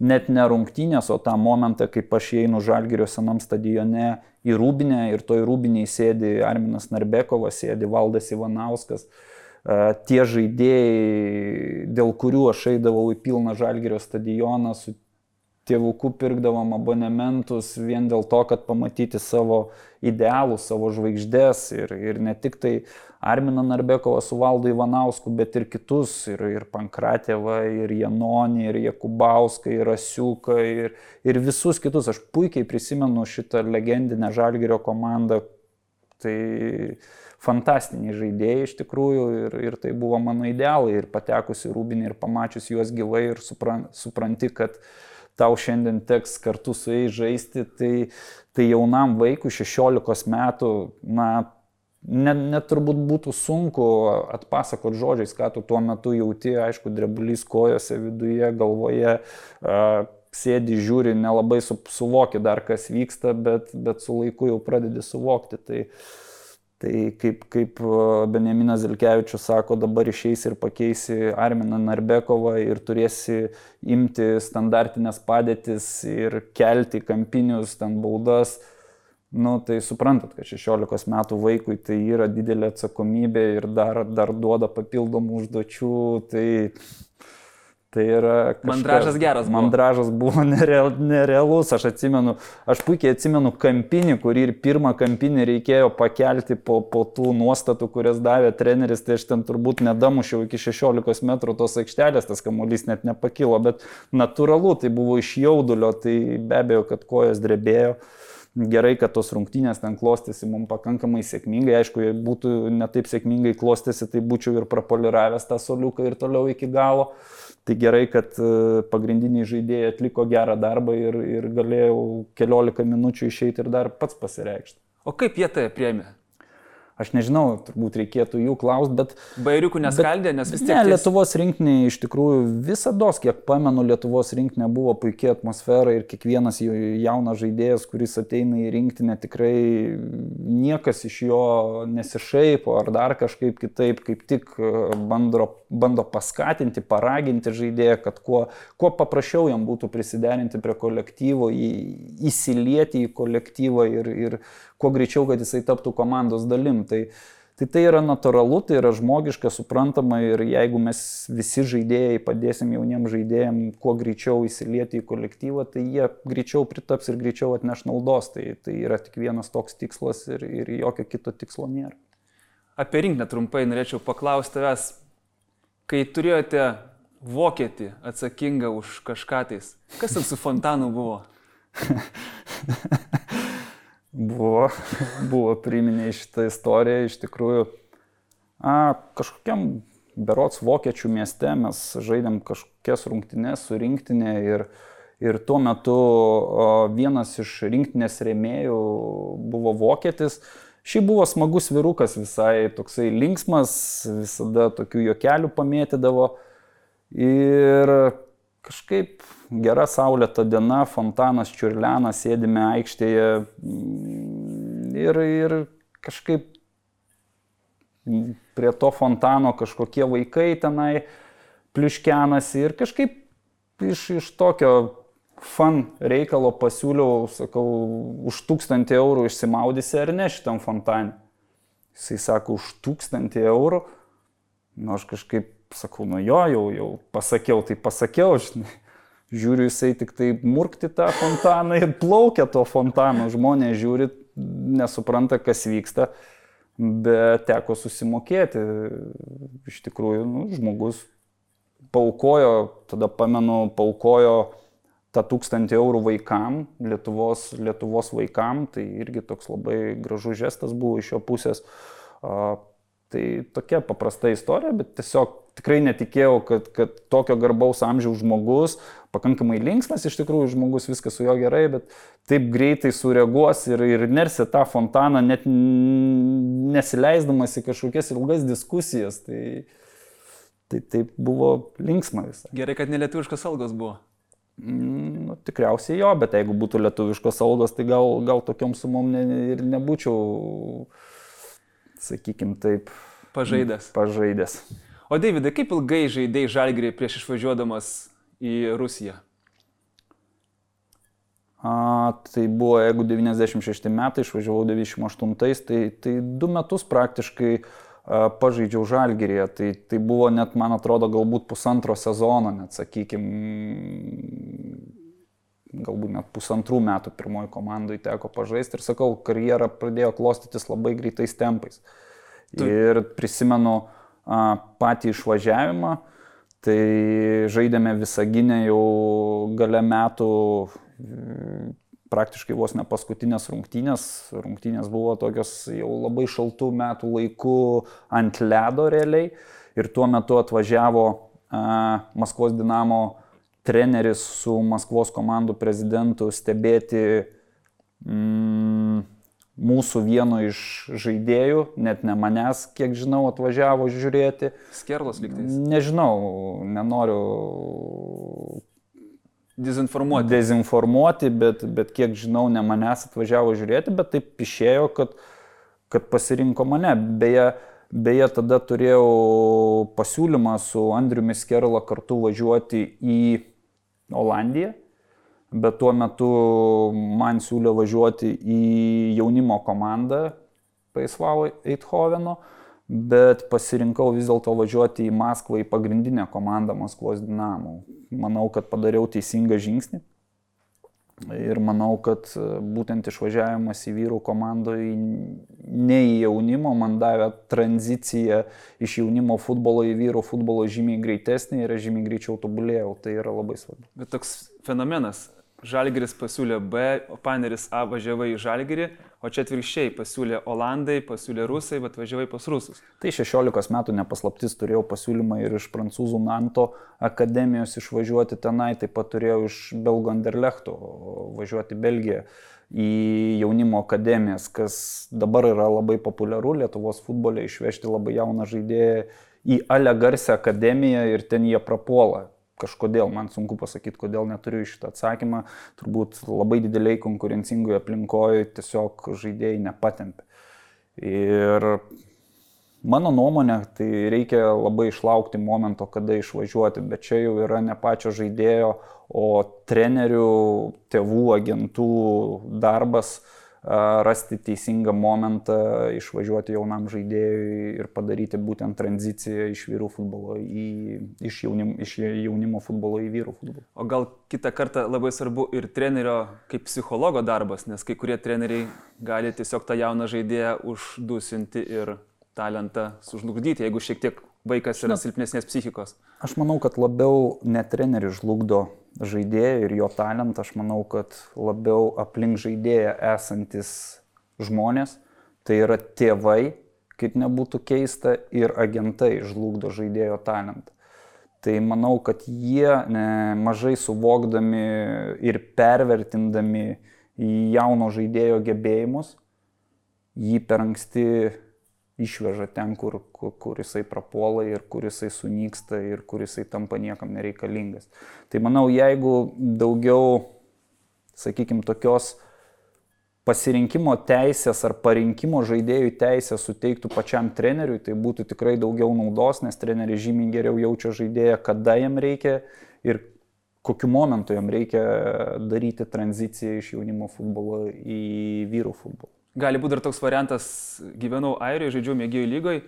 net ne rungtynės, o tą momentą, kaip aš einu Žalgirio senam stadione į Rūbinę ir toj Rūbinėj sėdi Arminas Narbekovas, sėdi Valdas Ivanauskas. Tie žaidėjai, dėl kurių aš eidavau į pilną Žalgirio stadioną, su tėvuku pirkdavom abonementus vien dėl to, kad pamatyti savo idealus, savo žvaigždės ir ne tik tai Arminą Narbekovą su Valdu Ivanausku, bet ir kitus, ir Pankratėvą, ir Janonį, ir Jakubauską, ir Rasiuką, ir visus kitus. Aš puikiai prisimenu šitą legendinę Žalgirio komandą. Tai fantastiniai žaidėjai iš tikrųjų ir tai buvo mano idealai ir patekus į Rūbinę ir pamačius juos gyvai ir supranti, kad tau šiandien teks kartu su jais žaisti, tai jaunam vaikui 16 metų, net turbūt būtų sunku atpasakot žodžiais, ką tu tuo metu jauti, aišku, drebulys kojose, viduje, galvoje, sėdi, žiūri, nelabai suvoki dar, kas vyksta, bet su laiku jau pradedi suvokti. Tai kaip Benjaminas Zelkevičius sako, dabar išeisi ir pakeisi Arminą Narbekovą ir turėsi imti standartinės padėtis ir kelti kampinius, ten baudas. Tai suprantat, kad 16 metų vaikui tai yra didelė atsakomybė ir dar duoda papildomų užduočių. Tai yra kažkas... Mandražas geras buvo. Mandražas buvo nerealus. Aš puikiai atsimenu kampinį, kurį ir pirmą kampinį reikėjo pakelti po tų nuostatų, kurias davė treneris. Tai aš ten turbūt nedamušiau iki 16 metrų tos aikštelės, tas kamuolys net nepakilo, bet natūralu, tai buvo iš jaudulio, tai be abejo, kad kojas drebėjo. Gerai, kad tos rungtynės ten klostėsi mums pakankamai sėkmingai. Aišku, jei būtų netaip sėkmingai klostėsi, tai būčiau ir prapoliravęs tą soliuką ir toliau iki galo. Tai gerai, kad pagrindiniai žaidėjai atliko gerą darbą ir galėjau 14 minučių išeiti ir dar pats pasireikšti. O kaip jie tai priėmė? Aš nežinau, turbūt reikėtų jų klausti, bet... Bairiukų neskaldė, nes vis tiek... Ne, Lietuvos rinktinė iš tikrųjų visados, kiek pamenu, Lietuvos rinktinė buvo puikia atmosfera ir kiekvienas jaunas žaidėjas, kuris ateina į rinktinę, tikrai niekas iš jo nesišaipo ar dar kažkaip kitaip, kaip tik bando paskatinti, paraginti žaidėją, kad kuo paprasčiau jam būtų prisiderinti prie kolektyvo, įsilieti į kolektyvą ir kuo greičiau, kad jisai taptų komandos dalim. Tai yra natūralu, tai yra žmogiška, suprantama ir jeigu mes visi žaidėjai padėsim jauniem žaidėjim kuo greičiau įsilieti į kolektyvą, tai jie greičiau pritaps ir greičiau atneš naudos. Tai yra tik vienas toks tikslas ir jokio kito tikslo nėra. Apie rinktinę trumpai norėčiau paklausti tavęs, kai turėjote vokietį atsakingą už kažką tais, kas ten su fontanu buvo? Buvo priminė šitą istoriją, iš tikrųjų kažkokiam berods vokiečių mieste mes žaidėm kažkokias rungtynes su rinktinė ir tuo metu vienas iš rinktinės rėmėjų buvo vokietis. Šiaip buvo smagus vyrukas, visai toksai linksmas, visada tokių juokelių pamėtydavo ir kažkaip gera saulėta diena, fontanas čiurlena, sėdime aikštėje ir kažkaip prie to fontano kažkokie vaikai tenai pliuškenasi ir kažkaip iš tokio fun reikalo pasiūliau, sakau, už 1000 eurų išsimaudysi ar ne šitam fontane. Jisai sako, už 1000 eurų. Nu, aš kažkaip sakau, nu jo, jau pasakiau, tai pasakiau, žinai. Žiūriu, jisai tik tai murkti tą fontaną ir plaukia to fontano. Žmonės žiūri, nesupranta, kas vyksta. Bet teko susimokėti. Iš tikrųjų, nu, žmogus paaukojo, tada pamenu, paaukojo tą 1000 eurų vaikam, Lietuvos vaikam. Tai irgi toks labai gražus žestas buvo iš jo pusės. Tai tokia paprasta istorija, bet tiesiog tikrai netikėjau, kad tokio garbaus amžiaus žmogus, pakankamai linksmas iš tikrųjų žmogus, viskas su jo gerai, bet taip greitai sureaguos ir nersi tą fontaną, net nesileisdamas į kažkokias ilgas diskusijas. Tai taip buvo linksma visai. Gerai, kad nelietuviškos algos buvo. Nu, tikriausiai jo, bet jeigu būtų lietuviškos algos, tai gal tokiom sumom ir nebūčiau, sakykim taip, pažaidęs. O Deividai, kaip ilgai žaidėjai Žalgirį prieš išvažiuodamas į Rusiją? Tai buvo, jeigu 96 metai, išvažiavau 98, tai 2 metus praktiškai pažaidžiau Žalgiryje. Tai buvo net, man atrodo, galbūt 1,5 sezono, net sakykim, galbūt net 1,5 metų pirmoji komandai teko pažaisti. Ir sakau, karjera pradėjo klostytis labai greitais tempais. Ir prisimenu patį išvažiavimą, tai žaidėme Visagine jau gale metų, praktiškai vos ne paskutinės rungtynės. Rungtynės buvo tokios jau labai šaltų metų laikų ant ledo realiai. Ir tuo metu atvažiavo Maskvos Dinamo treneris su Maskvos komandų prezidentu stebėti mūsų vieno iš žaidėjų, net ne manęs, kiek žinau, atvažiavo žiūrėti. Skerlos lygtais? Nežinau, nenoriu dezinformuoti, bet kiek žinau, ne manęs atvažiavo žiūrėti, bet taip išėjo, kad pasirinko mane. Beje, tada turėjau pasiūlymą su Andriumi Skerla kartu važiuoti į Olandiją. Bet tuo metu man siūlė važiuoti į jaunimo komandą PSV Eindhoveno, bet pasirinkau vis dėlto važiuoti į Maskvą, į pagrindinę komandą Maskvos Dinamo. Manau, kad padariau teisingą žingsnį ir manau, kad būtent išvažiavimas į vyrų komandoje ne į jaunimo man davė tranziciją iš jaunimo futbolo į vyrų futbolo žymiai greitesnį ir žymiai greičiau tobulėjau. Tai yra labai svarbu. Bet toks fenomenas. Žalgiris pasiūlė B, o Paneris A važiavai į Žalgirį, o čia atvirkščiai pasiūlė Olandai, pasiūlė Rusai, bet važiavai pas Rusus. Tai 16 metų nepaslaptis, turėjau pasiūlymą ir iš prancūzų Nanto akademijos išvažiuoti tenai, taip pat turėjau iš Belgų Anderlechto važiuoti į Belgiją į jaunimo akademijas, kas dabar yra labai populiaru Lietuvos futbole, išvežti labai jauną žaidėją į Ale Garse akademiją ir ten jie prapuola. Kažkodėl, man sunku pasakyti, kodėl neturiu šitą atsakymą, turbūt labai dideliai konkurencingoje aplinkoje tiesiog žaidėjai nepatempia. Ir mano nuomonė, tai reikia labai išlaukti momento, kada išvažiuoti, bet čia jau yra ne pačio žaidėjo, o trenerių, tėvų, agentų darbas rasti teisingą momentą, išvažiuoti jaunam žaidėjui ir padaryti būtent tranziciją iš vyrų futbolo iš jaunimo futbolo į vyrų futbolą. O gal kitą kartą labai svarbu ir trenerio kaip psichologo darbas, nes kai kurie treneriai gali tiesiog tą jauną žaidėją uždusinti ir talentą sužlugdyti, jeigu šiek tiek vaikas yra silpnesnės psichikos. Aš manau, kad labiau ne treneris žlugdo žaidėją ir jo talentą, aš manau, kad labiau aplink žaidėją esantis žmonės, tai yra tėvai, kaip nebūtų keista, ir agentai žlugdo žaidėjo talentą. Tai manau, kad jie mažai suvokdami ir pervertindami jauno žaidėjo gebėjimus, jį per anksti išveža ten, kur jisai prapuola ir kur jisai sunyksta ir kur jisai tampa niekam nereikalingas. Tai manau, jeigu daugiau, sakykime, tokios pasirinkimo teisės ar parinkimo žaidėjų teisės suteiktų pačiam treneriui, tai būtų tikrai daugiau naudos, nes treneris žymiai geriau jaučia žaidėją, kada jam reikia ir kokiu momentu jam reikia daryti tranziciją iš jaunimo futbolo į vyrų futbolą. Gali būti dar toks variantas, gyvenau Airijoje, žaidžiau mėgėjų lygoje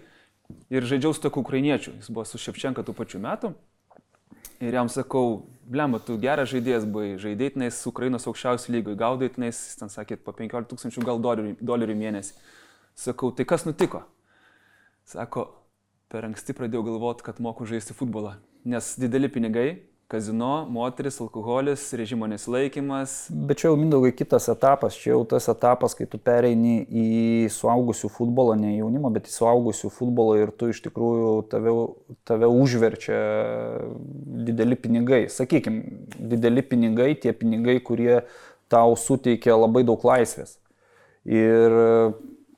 ir žaidžiau su tokiu ukrainiečiu, jis buvo su Ševčenka tų pačių metų. Ir jam sakau, blemba, tu geras žaidėjas buvai, žaidėtinais Ukrainos aukščiausių lygoj, gaudaitinais, jis ten sakė, po 15 000 gal dolerių mėnesį. Sakau, tai kas nutiko? Sako, per anksti pradėjau galvoti, kad moku žaisti futbolą, nes dideli pinigai, kazino, moteris, alkoholis, režimo nesilaikymas. Bet čia jau Mindaugai kitas etapas, čia jau tas etapas, kai tu pereini į suaugusių futbolą, ne jaunimo, bet į suaugusių futbolą ir tu iš tikrųjų tave užverčia dideli pinigai. Sakykime, dideli pinigai, tie pinigai, kurie tau suteikia labai daug laisvės. Ir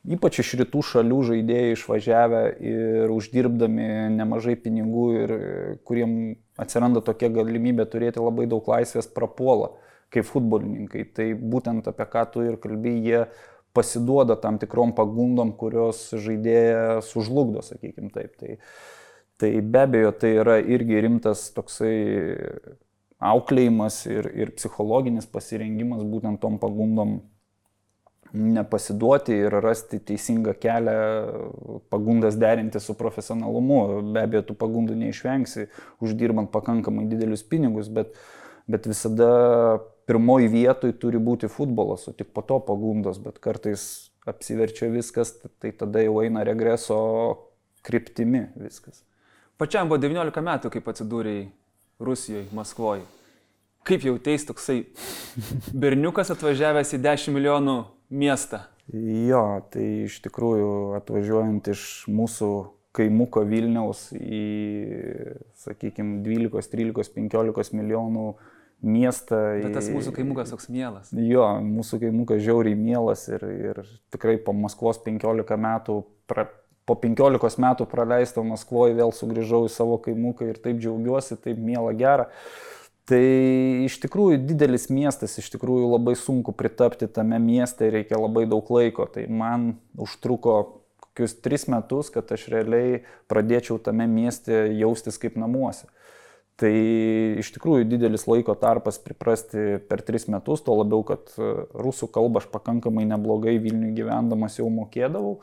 ypač iš rytų šalių žaidėjai išvažiavę ir uždirbdami nemažai pinigų ir kuriem atsiranda tokia galimybė turėti labai daug laisvės prapuola kaip futbolininkai. Tai būtent apie ką tu ir kalbėjai, jie pasiduoda tam tikrom pagundom, kurios žaidėją sužlugdo, sakykime taip. Tai be abejo, tai yra irgi rimtas toksai auklėjimas ir psichologinis pasirengimas būtent tom pagundom nepasiduoti ir rasti teisingą kelią, pagundas derinti su profesionalumu. Be abejo, tų pagundų neišvengsi, uždirbant pakankamai didelius pinigus, bet visada pirmoji vietoj turi būti futbolas, o tik po to pagundos, bet kartais apsiverčia viskas, tai tada jau eina regreso kryptimi viskas. Pačiam buvo 19 metų, kaip atsidūrėjai Rusijoje, Maskvoje. Kaip jauteis toksai berniukas atvažiavęs į 10 milijonų miestą? Jo, tai iš tikrųjų atvažiuojant iš mūsų kaimuko Vilniaus į, sakykime, 12, 13, 15 milijonų miestą. Bet tas mūsų kaimukas toks mielas. Jo, mūsų kaimukas žiauriai mielas ir tikrai po Maskvos 15 metų, po 15 metų praleisto Maskvoje vėl sugrįžau į savo kaimuką ir taip džiaugiuosi, taip miela gera. Tai iš tikrųjų didelis miestas, iš tikrųjų labai sunku pritapti tame mieste, reikia labai daug laiko. Tai man užtruko kokius 3 metus, kad aš realiai pradėčiau tame mieste jaustis kaip namuose. Tai iš tikrųjų didelis laiko tarpas priprasti per 3 metus, tuo labiau, kad rusų kalbą aš pakankamai neblogai Vilniuje gyvendamas jau mokėdavau.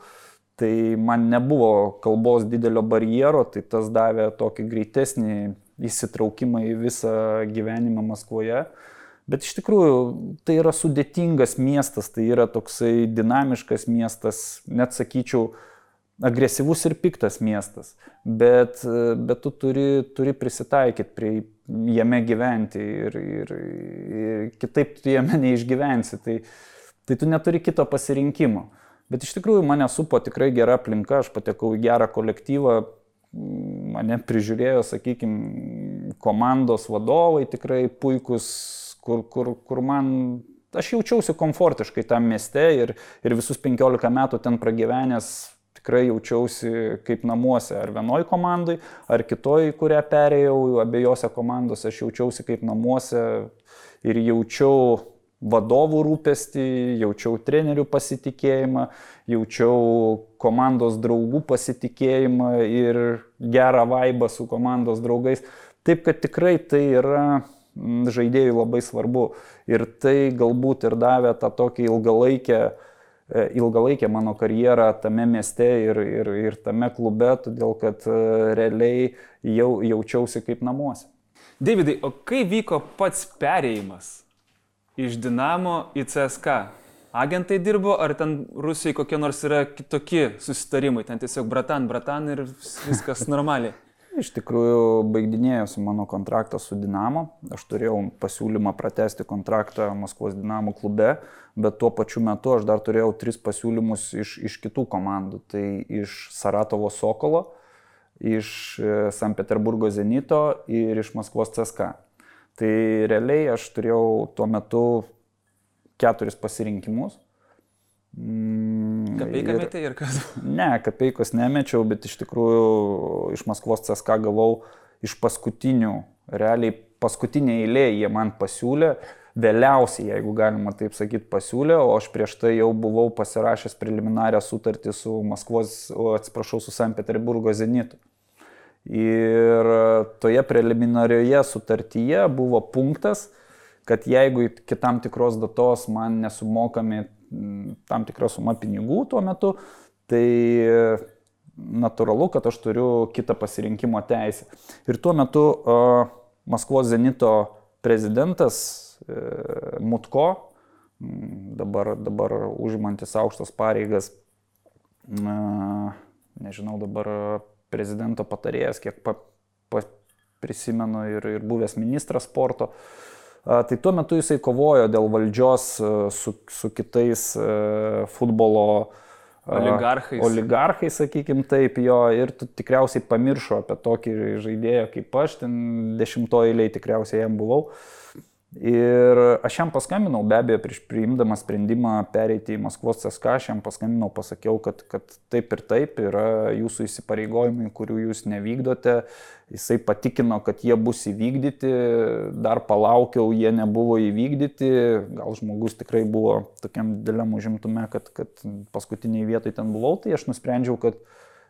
Tai man nebuvo kalbos didelio barjero, tai tas davė tokį greitesnį įsitraukimą į visą gyvenimą Maskvoje. Bet iš tikrųjų tai yra sudėtingas miestas, tai yra toksai dinamiškas miestas, net sakyčiau, agresyvus ir piktas miestas. Bet tu turi prisitaikyti prie jame gyventi ir kitaip tu jame neišgyvensi. Tai tu neturi kito pasirinkimo. Bet iš tikrųjų mane supo tikrai gera aplinka, aš patekau į gerą kolektyvą, mane prižiūrėjo, sakykime, komandos vadovai tikrai puikus, kur man, aš jaučiausi komfortiškai tam mieste ir visus 15 metų ten pragyvenęs tikrai jaučiausi kaip namuose, ar vienoj komandai, ar kitoj, kurią perėjau, abiejose komandose aš jaučiausi kaip namuose ir jaučiau vadovų rūpestį, jaučiau trenerių pasitikėjimą, jaučiau komandos draugų pasitikėjimą ir gerą vaibą su komandos draugais. Taip, kad tikrai tai yra žaidėjui labai svarbu. Ir tai galbūt ir davė tą tokį ilgalaikę mano karjerą tame mieste ir tame klube, todėl kad realiai jaučiausi kaip namuose. Deividai, o kai vyko pats perėjimas iš Dinamo į CSKA? Agentai dirbo, ar ten Rusijoje kokie nors yra kitokie susitarimai? Ten tiesiog bratan ir viskas normaliai. Iš tikrųjų, baigdinėjosi mano kontraktas su Dinamo. Aš turėjau pasiūlymą pratęsti kontraktą Maskvos Dinamo klube, bet tuo pačiu metu aš dar turėjau 3 pasiūlymus iš kitų komandų. Tai iš Saratovo Sokolo, iš Sankt Peterburgo Zenito ir iš Maskvos CSKA. Tai realiai aš turėjau tuo metu 4 pasirinkimus. Kapeiką metė ir kas? Ne, kapeikos nemečiau, bet iš tikrųjų iš Maskvos CSKA gavau iš paskutinių, realiai paskutinė eilė jie man pasiūlė vėliausiai, jeigu galima taip sakyti, pasiūlė, o aš prieš tai jau buvau pasirašęs preliminarią sutartį su su Sankt Peterburgo Zenitu. Ir toje preliminarioje sutartyje buvo punktas, kad jeigu iki tam tikros datos man nesumokami tam tikra suma pinigų tuo metu, tai natūralu, kad aš turiu kitą pasirinkimo teisę. Ir tuo metu Maskvos Zenito prezidentas Mutko, dabar užimantis aukštas pareigas, nežinau, dabar prezidento patarėjas, kiek prisimenu, ir buvęs ministras sporto, tai tuo metu jisai kovojo dėl valdžios su kitais futbolo oligarchai, sakykim taip, jo, ir tikriausiai pamiršo apie tokį žaidėją kaip aš, ten 10 eilėje tikriausiai jam buvau. Ir aš jam paskambinau, be abejo, prieš priimdamas sprendimą pereiti į Maskvos CSKA, aš jam paskambinau, pasakiau, kad taip ir taip yra jūsų įsipareigojimai, kurių jūs nevykdote. Jisai patikino, kad jie bus įvykdyti, dar palaukiau, jie nebuvo įvykdyti. Gal žmogus tikrai buvo tokiam dideliam užimtume, kad paskutiniai vietai ten buvau, tai aš nusprendžiau, kad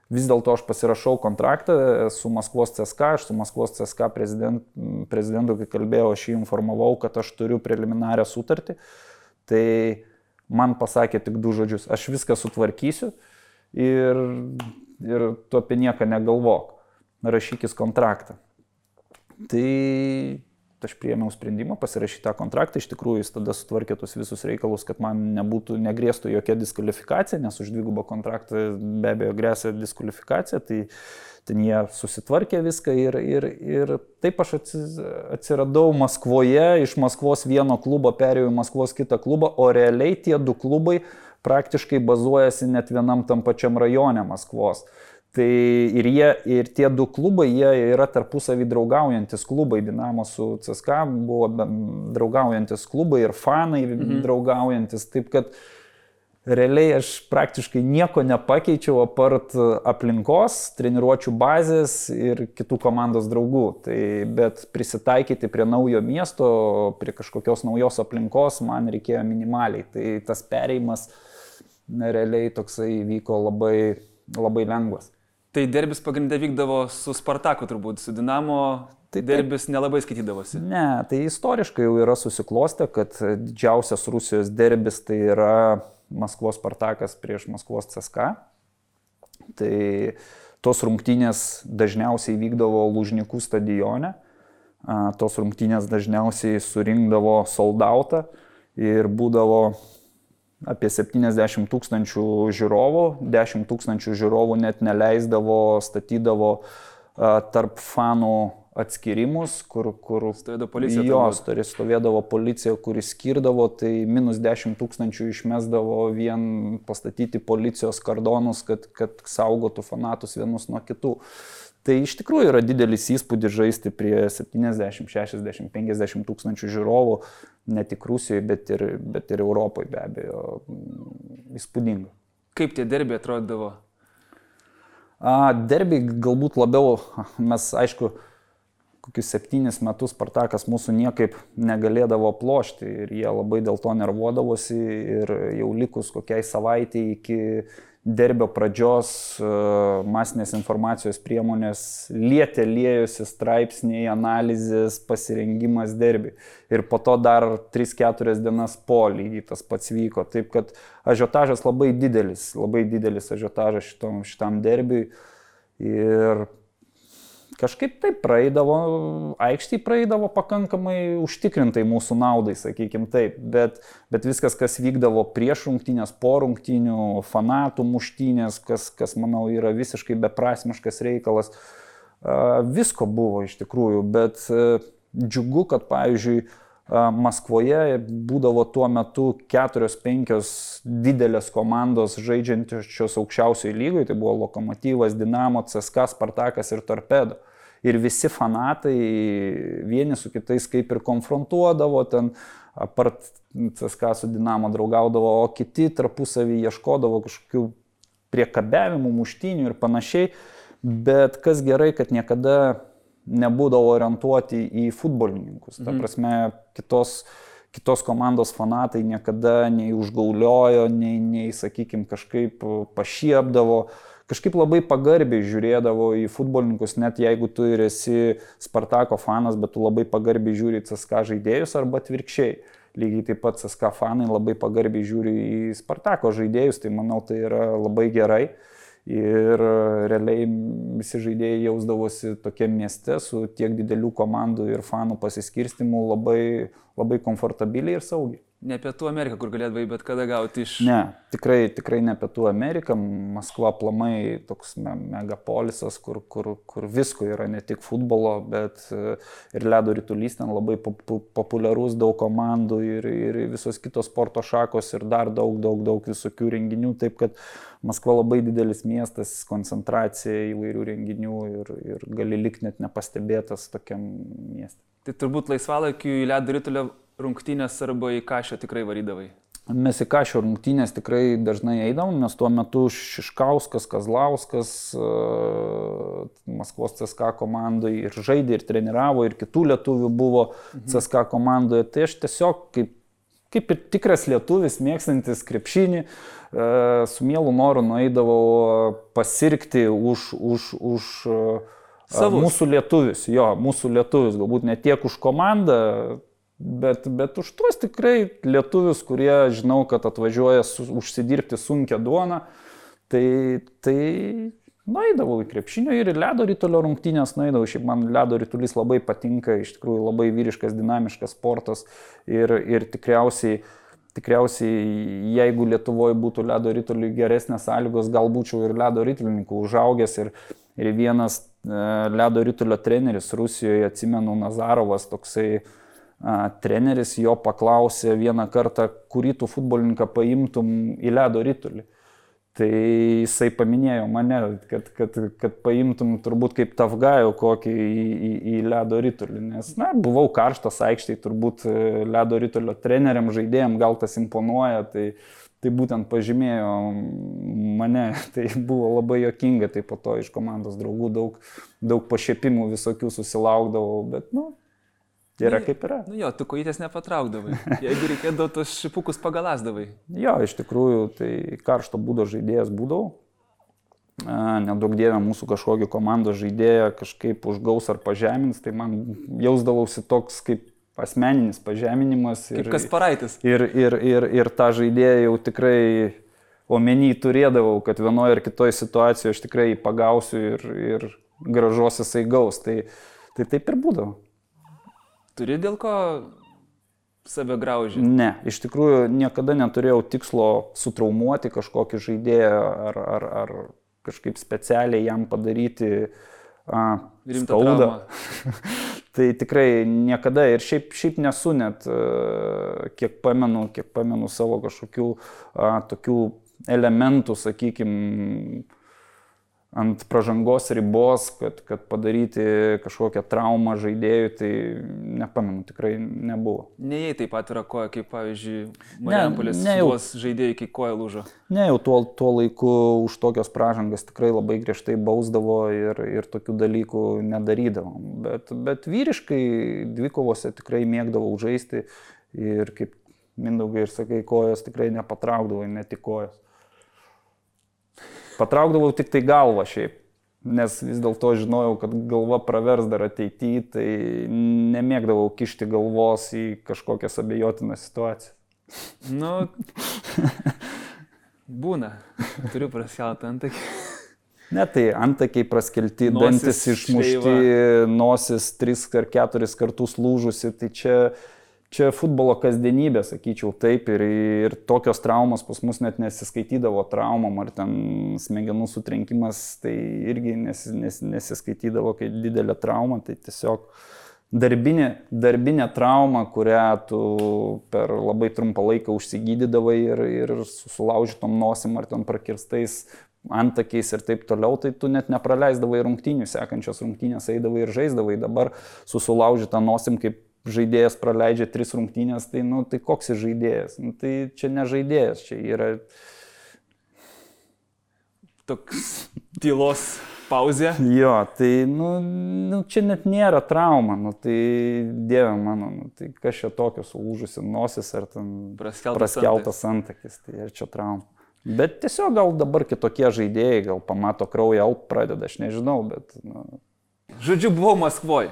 vis dėlto aš pasirašau kontraktą su Maskvos CSKA, aš su Maskvos CSKA prezidentu, kai kalbėjau, aš jį informavau, kad aš turiu preliminarią sutartį, tai man pasakė tik 2 žodžius, aš viską sutvarkysiu ir tu apie nieką negalvok, rašykis kontraktą. Tai aš priėmiau sprendimą pasirašyti tą kontraktą, iš tikrųjų jis tada sutvarkė tus visus reikalus, kad man negrėstų jokia diskvalifikacija, nes už 2 kontraktą be abejo grėsia diskvalifikacija, tai ten jie susitvarkė viską ir taip aš atsiradau Maskvoje, iš Maskvos vieno klubo perėjau į Maskvos kitą klubą, o realiai tie 2 klubai praktiškai bazuojasi net vienam tam pačiam rajone Maskvos. Tai ir tie 2 klubai, jie yra tarpusavį draugaujantis klubai, Dinamo su CSKA buvo draugaujantis klubai ir fanai draugaujantis, taip kad realiai aš praktiškai nieko nepakeičiau apart aplinkos, treniruočių bazės ir kitų komandos draugų. Tai, bet prisitaikyti prie naujo miesto, prie kažkokios naujos aplinkos man reikėjo minimaliai. Tai tas perėjimas realiai toksai vyko labai lengvas. Tai derbis pagrindę vykdavo su Spartaku turbūt, su Dinamo tai derbis nelabai skaitydavosi. Ne, tai istoriškai jau yra susiklostę, kad didžiausias Rusijos derbis tai yra Maskvos Spartakas prieš Maskvos CSKA. Tai tos rungtynės dažniausiai vykdavo Lužnikų stadione, tos rungtynės dažniausiai surinkdavo sold outą ir būdavo apie 70 000 žiūrovų, 10 000 žiūrovų net neleisdavo, statydavo tarp fanų atskirimus, kur stovėdavo policija. Stovėdavo policija, kuris skirdavo, tai minus 10 000 išmesdavo vien pastatyti policijos kordonus, kad saugotų fanatus vienus nuo kitų. Tai iš tikrųjų yra didelis įspūdis žaisti prie 70, 60, 50 000 žiūrovų, ne tik Rusijoje, bet ir Europoje be abejo. Įspūdinga. Kaip tie derbiai atrodydavo? Derbiai galbūt labiau, mes aišku, kokius 7 metus Spartakas mūsų niekaip negalėdavo plošti ir jie labai dėl to nervuodavosi ir jau likus kokiai savaitei iki derbio pradžios masinės informacijos priemonės liejosi straipsniai, analizės, pasirengimas derbiui. Ir po to dar 3-4 dienas po lygiai tas pats vyko. Taip kad ažiotažas labai didelis ažiotažas šitam derbiui. Ir kažkaip taip aikštėje praeidavo pakankamai užtikrintai mūsų naudai, sakykim taip, bet viskas, kas vykdavo prieš rungtynės, po rungtynių, fanatų muštynės, kas manau yra visiškai beprasmiškas reikalas, visko buvo iš tikrųjų, bet džiugu, kad pavyzdžiui Maskvoje būdavo tuo metu 4-5 didelės komandos žaidžiančios aukščiausioje lygoje, tai buvo Lokomotyvas, Dinamo, CSKA, Spartakas ir Torpedo. Ir visi fanatai vieni su kitais kaip ir konfrontuodavo, ten apart CSKA su Dinamo draugaudavo, o kiti tarpusavį ieškodavo kažkokių priekabiavimų, muštynių ir panašiai. Bet kas gerai, kad niekada nebūdavo orientuoti į futbolininkus. Ta prasme, kitos komandos fanatai niekada nei užgauliojo, nei sakykime, kažkaip pašiepdavo. Kažkaip labai pagarbiai žiūrėdavo į futbolininkus, net jeigu tu ir esi Spartako fanas, bet tu labai pagarbiai žiūri į CSKA žaidėjus arba atvirkščiai. Lygiai taip pat CSKA fanai labai pagarbiai žiūri į Spartako žaidėjus, tai manau tai yra labai gerai. Ir realiai visi žaidėjai jausdavosi tokiam mieste su tiek didelių komandų ir fanų pasiskirstimu labai komfortabiliai ir saugiai. Ne Pietų Amerika, kur galėdavai bet kada gauti iš... Ne, tikrai ne Pietų Amerika. Maskva aplamai toks megapolisas, kur visko yra, ne tik futbolo, bet ir ledo ritulys ten labai populiarus, daug komandų ir visos kitos sporto šakos ir dar daug visokių renginių. Taip kad Maskva labai didelis miestas, koncentracija įvairių renginių ir gali likti net nepastebėtas tokiam mieste. Tai turbūt laisvalaikiu į ledo ritulio rungtynės arba į Kašio tikrai varydavai? Mes į Kašio rungtynės tikrai dažnai eidavom, nes tuo metu Šiškauskas, Kazlauskas, Maskvos CSKA komandai ir žaidė, ir treniravo, ir kitų lietuvių buvo CSKA komandoje. Tai aš tiesiog kaip ir tikras lietuvis, mėgstantis krepšinį, su mielu noru nueidavau pasirgti už mūsų lietuvius, mūsų lietuvius, galbūt ne tiek už komandą, bet už tuos tikrai lietuvius, kurie žinau, kad atvažiuoja užsidirbti sunkią duoną, tai nueidavau į krepšinio ir ledo ritulio rungtynės nueidavau. Šiaip man ledo ritulys labai patinka, iš tikrųjų labai vyriškas, dinamiškas sportas ir tikriausiai, jeigu Lietuvoje būtų ledo rituliui geresnės sąlygos, gal būčiau ir ledo ritulininkų užaugęs ir vienas ledo ritulio treneris Rusijoje, atsimenu, Nazarovas, toksai treneris, jo paklausė vieną kartą, kurį tu futbolininką paimtum į ledo ritulį. Tai jisai paminėjo mane, kad paimtum turbūt kaip Tafgajų kokį į ledo ritulį, nes buvau karštas aikštėje, turbūt ledo ritulio treneriam, žaidėjam gal tas imponuoja, tai būtent pažymėjo mane, tai buvo labai juokinga, tai po to iš komandos draugų daug pašiepimų visokių susilaukdavau, bet yra kaip yra. Tu kojytės nepatraukdavai, jeigu reikėdavo tos šipukus pagalasdavai. Iš tikrųjų, tai karšto būdo žaidėjas būdavau. Nedaug dievė mūsų kažkokį komandos žaidėją kažkaip užgaus ar pažemins, tai man jausdavausi toks kaip asmeninis pažeminimas. Kaip Kasparaitis. Ir tą žaidėją jau tikrai omeny turėdavau, kad vienoje ar kitoje situacijoje aš tikrai pagausiu ir gražos jisai gaus. Tai taip ir būdavo. Turi dėl ko save graužyti? Ne, iš tikrųjų niekada neturėjau tikslo sutraumuoti kažkokį žaidėją ar kažkaip specialiai jam padaryti skaudą. Tai tikrai niekada ir šiaip nesu net, kiek pamenu savo kažkokių tokių elementų, sakykime, ant pražangos ribos, kad padaryti kažkokią traumą žaidėjui, tai nepamenu, tikrai nebuvo. Nejai taip pat yra koja, kaip pavyzdžiui, Marijampolės Sūduvos žaidėjai, kai koja lūžo. Ne, jau tuo laiku už tokios pražangas tikrai labai griežtai bausdavo ir tokių dalykų nedarydavom. Bet vyriškai dvikovose tikrai mėgdavau žaisti ir kaip Mindaugai ir sakai, kojas tikrai nepatraukdavo, ne tik kojas. Patraukdavau tik tai galvą šiaip, nes vis dėlto žinojau, kad galva pravers dar ateityje, tai nemėgdavau kišti galvos į kažkokias abejotinas situacijas. Būna. Turiu praskeltą antakį. Ne, tai antakiai praskelti, dantis išmušti, nosis 3 ar 4 kartus lūžusi, tai čia futbolo kasdienybė, sakyčiau, taip, ir tokios traumos pas mus net nesiskaitydavo traumom, ar ten smegenų sutrenkimas, tai irgi nesiskaitydavo kaip didelė trauma, tai tiesiog darbinė trauma, kurią tu per labai trumpą laiką užsigydydavai ir sulaužytom nosim ar ten prakirstais antakiais ir taip toliau, tai tu net nepraleisdavai rungtynių, sekančios rungtynės eidavai ir žaisdavai, dabar su sulaužyta nosim kaip žaidėjas praleidžia 3 rungtynės, tai koks jis žaidėjas? Tai čia ne žaidėjas, čia yra toks tylos pauzė. Jo, tai, čia net nėra trauma, tai dieve mano, tai kas čia tokio sulūžusi nosis ar ten praskeltas antakis, tai ar čia trauma. Bet tiesiog gal dabar kitokie žaidėjai, gal pamato kraują, pradeda, aš nežinau, bet... Žodžiu, buvau Maskvoje.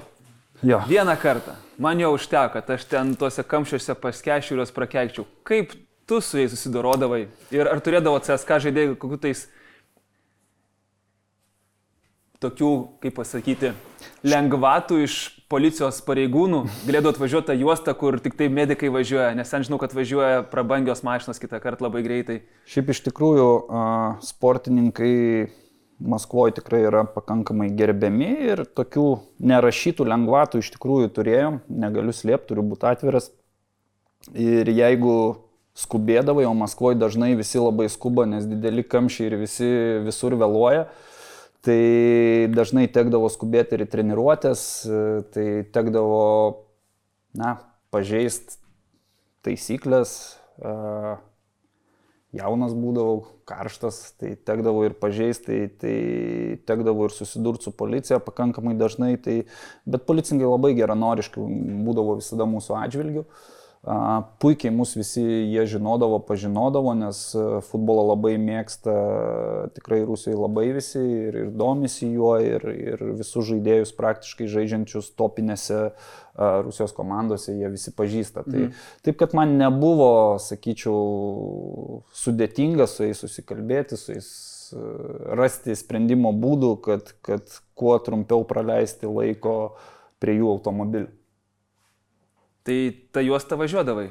Jo. Vieną kartą. Man jau užteko, kad aš ten tuose kamščiuose paskešiu ir juos prakeikčiau. Kaip tu su jais susidorodavai? Ir ar turėdavo CSK žaidėjų kokių tais tokių, kaip pasakyti, lengvatų iš policijos pareigūnų? Galėdavo atvažiuoti tą juostą, kur tik tai medikai važiuoja, nes ten žinau, kad važiuoja prabangios mašinos kitą kartą labai greitai. Šiaip iš tikrųjų sportininkai Maskvoje tikrai yra pakankamai gerbiami ir tokių nerašytų lengvatų iš tikrųjų turėjom, negaliu slėpti, turiu būti atviras. Ir jeigu skubėdavai, o Maskvoje dažnai visi labai skuba, nes dideli kamščiai ir visi visur vėluoja, tai dažnai tekdavo skubėti ir į treniruotės, tai tekdavo, pažeist taisyklės, jaunas būdavau, karštas, tai tekdavo ir pažeisti, tai tekdavo ir susidurti su policija pakankamai dažnai, bet policininkai labai geranoriškai būdavo visada mūsų atžvilgių. Puikiai mus visi jie žinodavo, pažinodavo, nes futbolą labai mėgsta tikrai Rusijoje labai visi ir domisi juo ir visus žaidėjus praktiškai žaidžiančius topinėse Rusijos komandose jie visi pažįsta. Taip, kad man nebuvo, sakyčiau, sudėtinga su jais susikalbėti, su jais rasti sprendimo būdų, kad kuo trumpiau praleisti laiko prie jų automobilių. Tai ta juosta važiuodavai?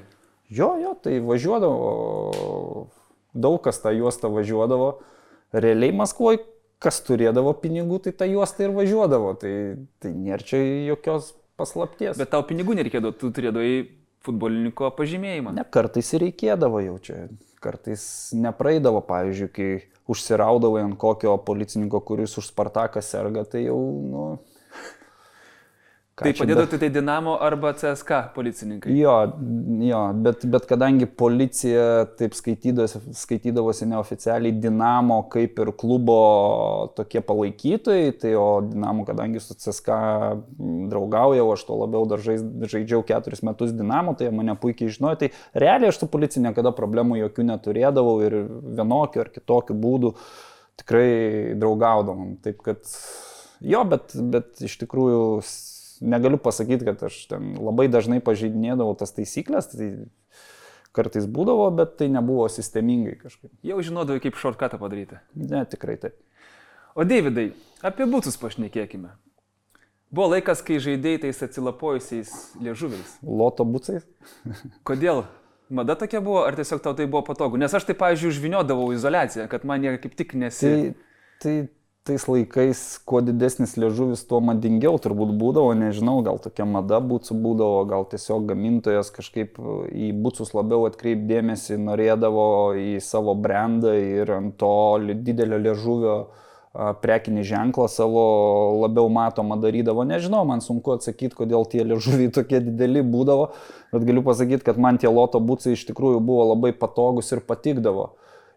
Jo, tai važiuodavo. Daug kas tą juostą važiuodavo. Realiai Maskvoje, kas turėdavo pinigų, tai tą juostą ir važiuodavo. Tai nėra čia jokios paslapties. Bet tau pinigų nereikėdavo, tu turėdavai futbolininko pažymėjimą. Ne, kartais ir reikėdavo jau čia. Kartais nepraeidavo, pavyzdžiui, kai užsiraudavai ant kokio policininko, kuris už Spartaką serga, tai jau, Tai padėdavo tai Dinamo arba CSK policininkai? Jo, bet kadangi policija taip skaitydavosi neoficialiai Dinamo kaip ir klubo tokie palaikytojai, tai o Dinamo, kadangi su CSK draugaujau, aš to labiau dar žaidžiau 4 metus Dinamo, tai mane puikiai žinojo, tai realiai aš su policija niekada problemų jokių neturėdavau ir vienokių ar kitokių būdų tikrai draugaudavom. Taip kad bet iš tikrųjų negaliu pasakyti, kad aš ten labai dažnai pažeidinėdavau tas taisyklės, tai kartais būdavo, bet tai nebuvo sistemingai kažkaip. Jau žinodavai, kaip shortcutą padaryti? Ne, tikrai taip. O Deividai, apie bucus pašnekėkime. Buvo laikas, kai žaidėjai tais atsilapojusiais liežuviais. Loto bucais? Kodėl? Mada tokia buvo, ar tiesiog tau tai buvo patogu? Nes aš tai, pavyzdžiui, užvyniodavau izoliaciją, kad man jie kaip tik Tais laikais, kuo didesnis liežuvis, tuo madingiau turbūt būdavo, nežinau, gal tokia mada bucų būdavo, gal tiesiog gamintojas kažkaip į bucus labiau atkreipdėmėsi, norėdavo į savo brandą ir ant to didelio liežuvio prekinį ženklą savo labiau matomą darydavo. Nežinau, man sunku atsakyti, kodėl tie liežuviai tokie dideli būdavo, bet galiu pasakyti, kad man tie loto bucai iš tikrųjų buvo labai patogus ir patikdavo.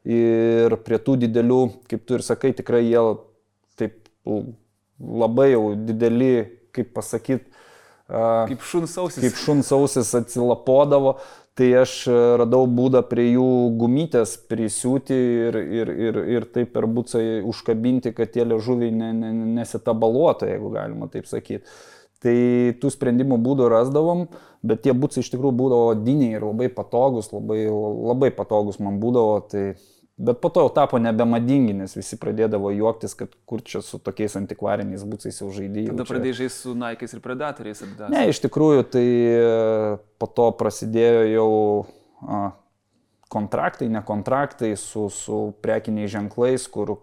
Ir prie tų didelių, kaip tu ir sakai, tikrai jie taip labai jau dideli, kaip pasakyti, kaip šuns ausis atsilapodavo, tai aš radau būdą prie jų gumytės prisiūti ir taip per bucą užkabinti, kad tie liežuviai nesitabaluotų, jeigu galima taip sakyti. Tai tų sprendimų būdų rasdavom, bet tie bucai iš tikrųjų būdavo odiniai ir labai patogus, labai patogus man būdavo. Bet po to jau tapo nebemadingi, nes visi pradėdavo juoktis, kad kur čia su tokiais antikvariniais bucais jau žaidėjai. Tada pradėjai žaisti su Nike'ais ir Predatoriais. Ne, iš tikrųjų, tai po to prasidėjo jau kontraktai, nekontraktai su prekiniais ženklais, kur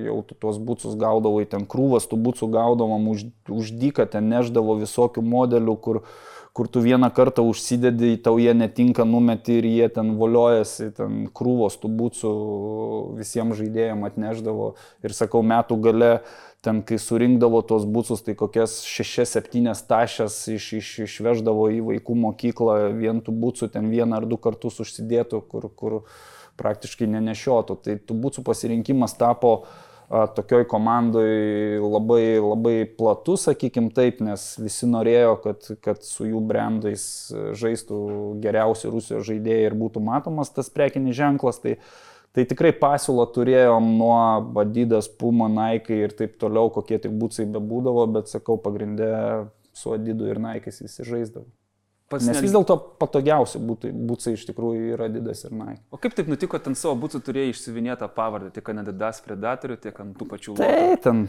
jau tuos bucus gaudavai, ten krūvas tų bucų gaudavom už dyką, ten neždavo visokių modelių, kur tu vieną kartą užsidedi, tau jie netinka, numeti ir jie ten voliojasi, ten krūvos tų bucų visiems žaidėjams atneždavo. Ir sakau, metų gale, ten kai surinkdavo tos bucus, tai kokias 6-7 tašės išveždavo į vaikų mokyklą, vien tų bucų ten 1 ar 2 kartus užsidėtų, kur praktiškai nenešiotų. Tai tų bucų pasirinkimas tapo tokioj komandoj labai platus, sakykim taip, nes visi norėjo, kad su jų brandais žaistų geriausi Rusijos žaidėjai ir būtų matomas tas prekinis ženklas. Tai tikrai pasiūlą turėjom nuo Adidas, Puma, Nike ir taip toliau, kokie tik būtsai bebūdavo, bet sakau, pagrindė su Adidu ir Nike'ais visi žaisdavo. Nes vis dėlto patogiausi būtsai iš tikrųjų yra Adidas ir Nike. O kaip taip nutiko, ten savo būtsų turėjai išsiuvinėtą pavardę, tiek ant Adidas Predatorių, tiek ant tų pačių logo? Tai ten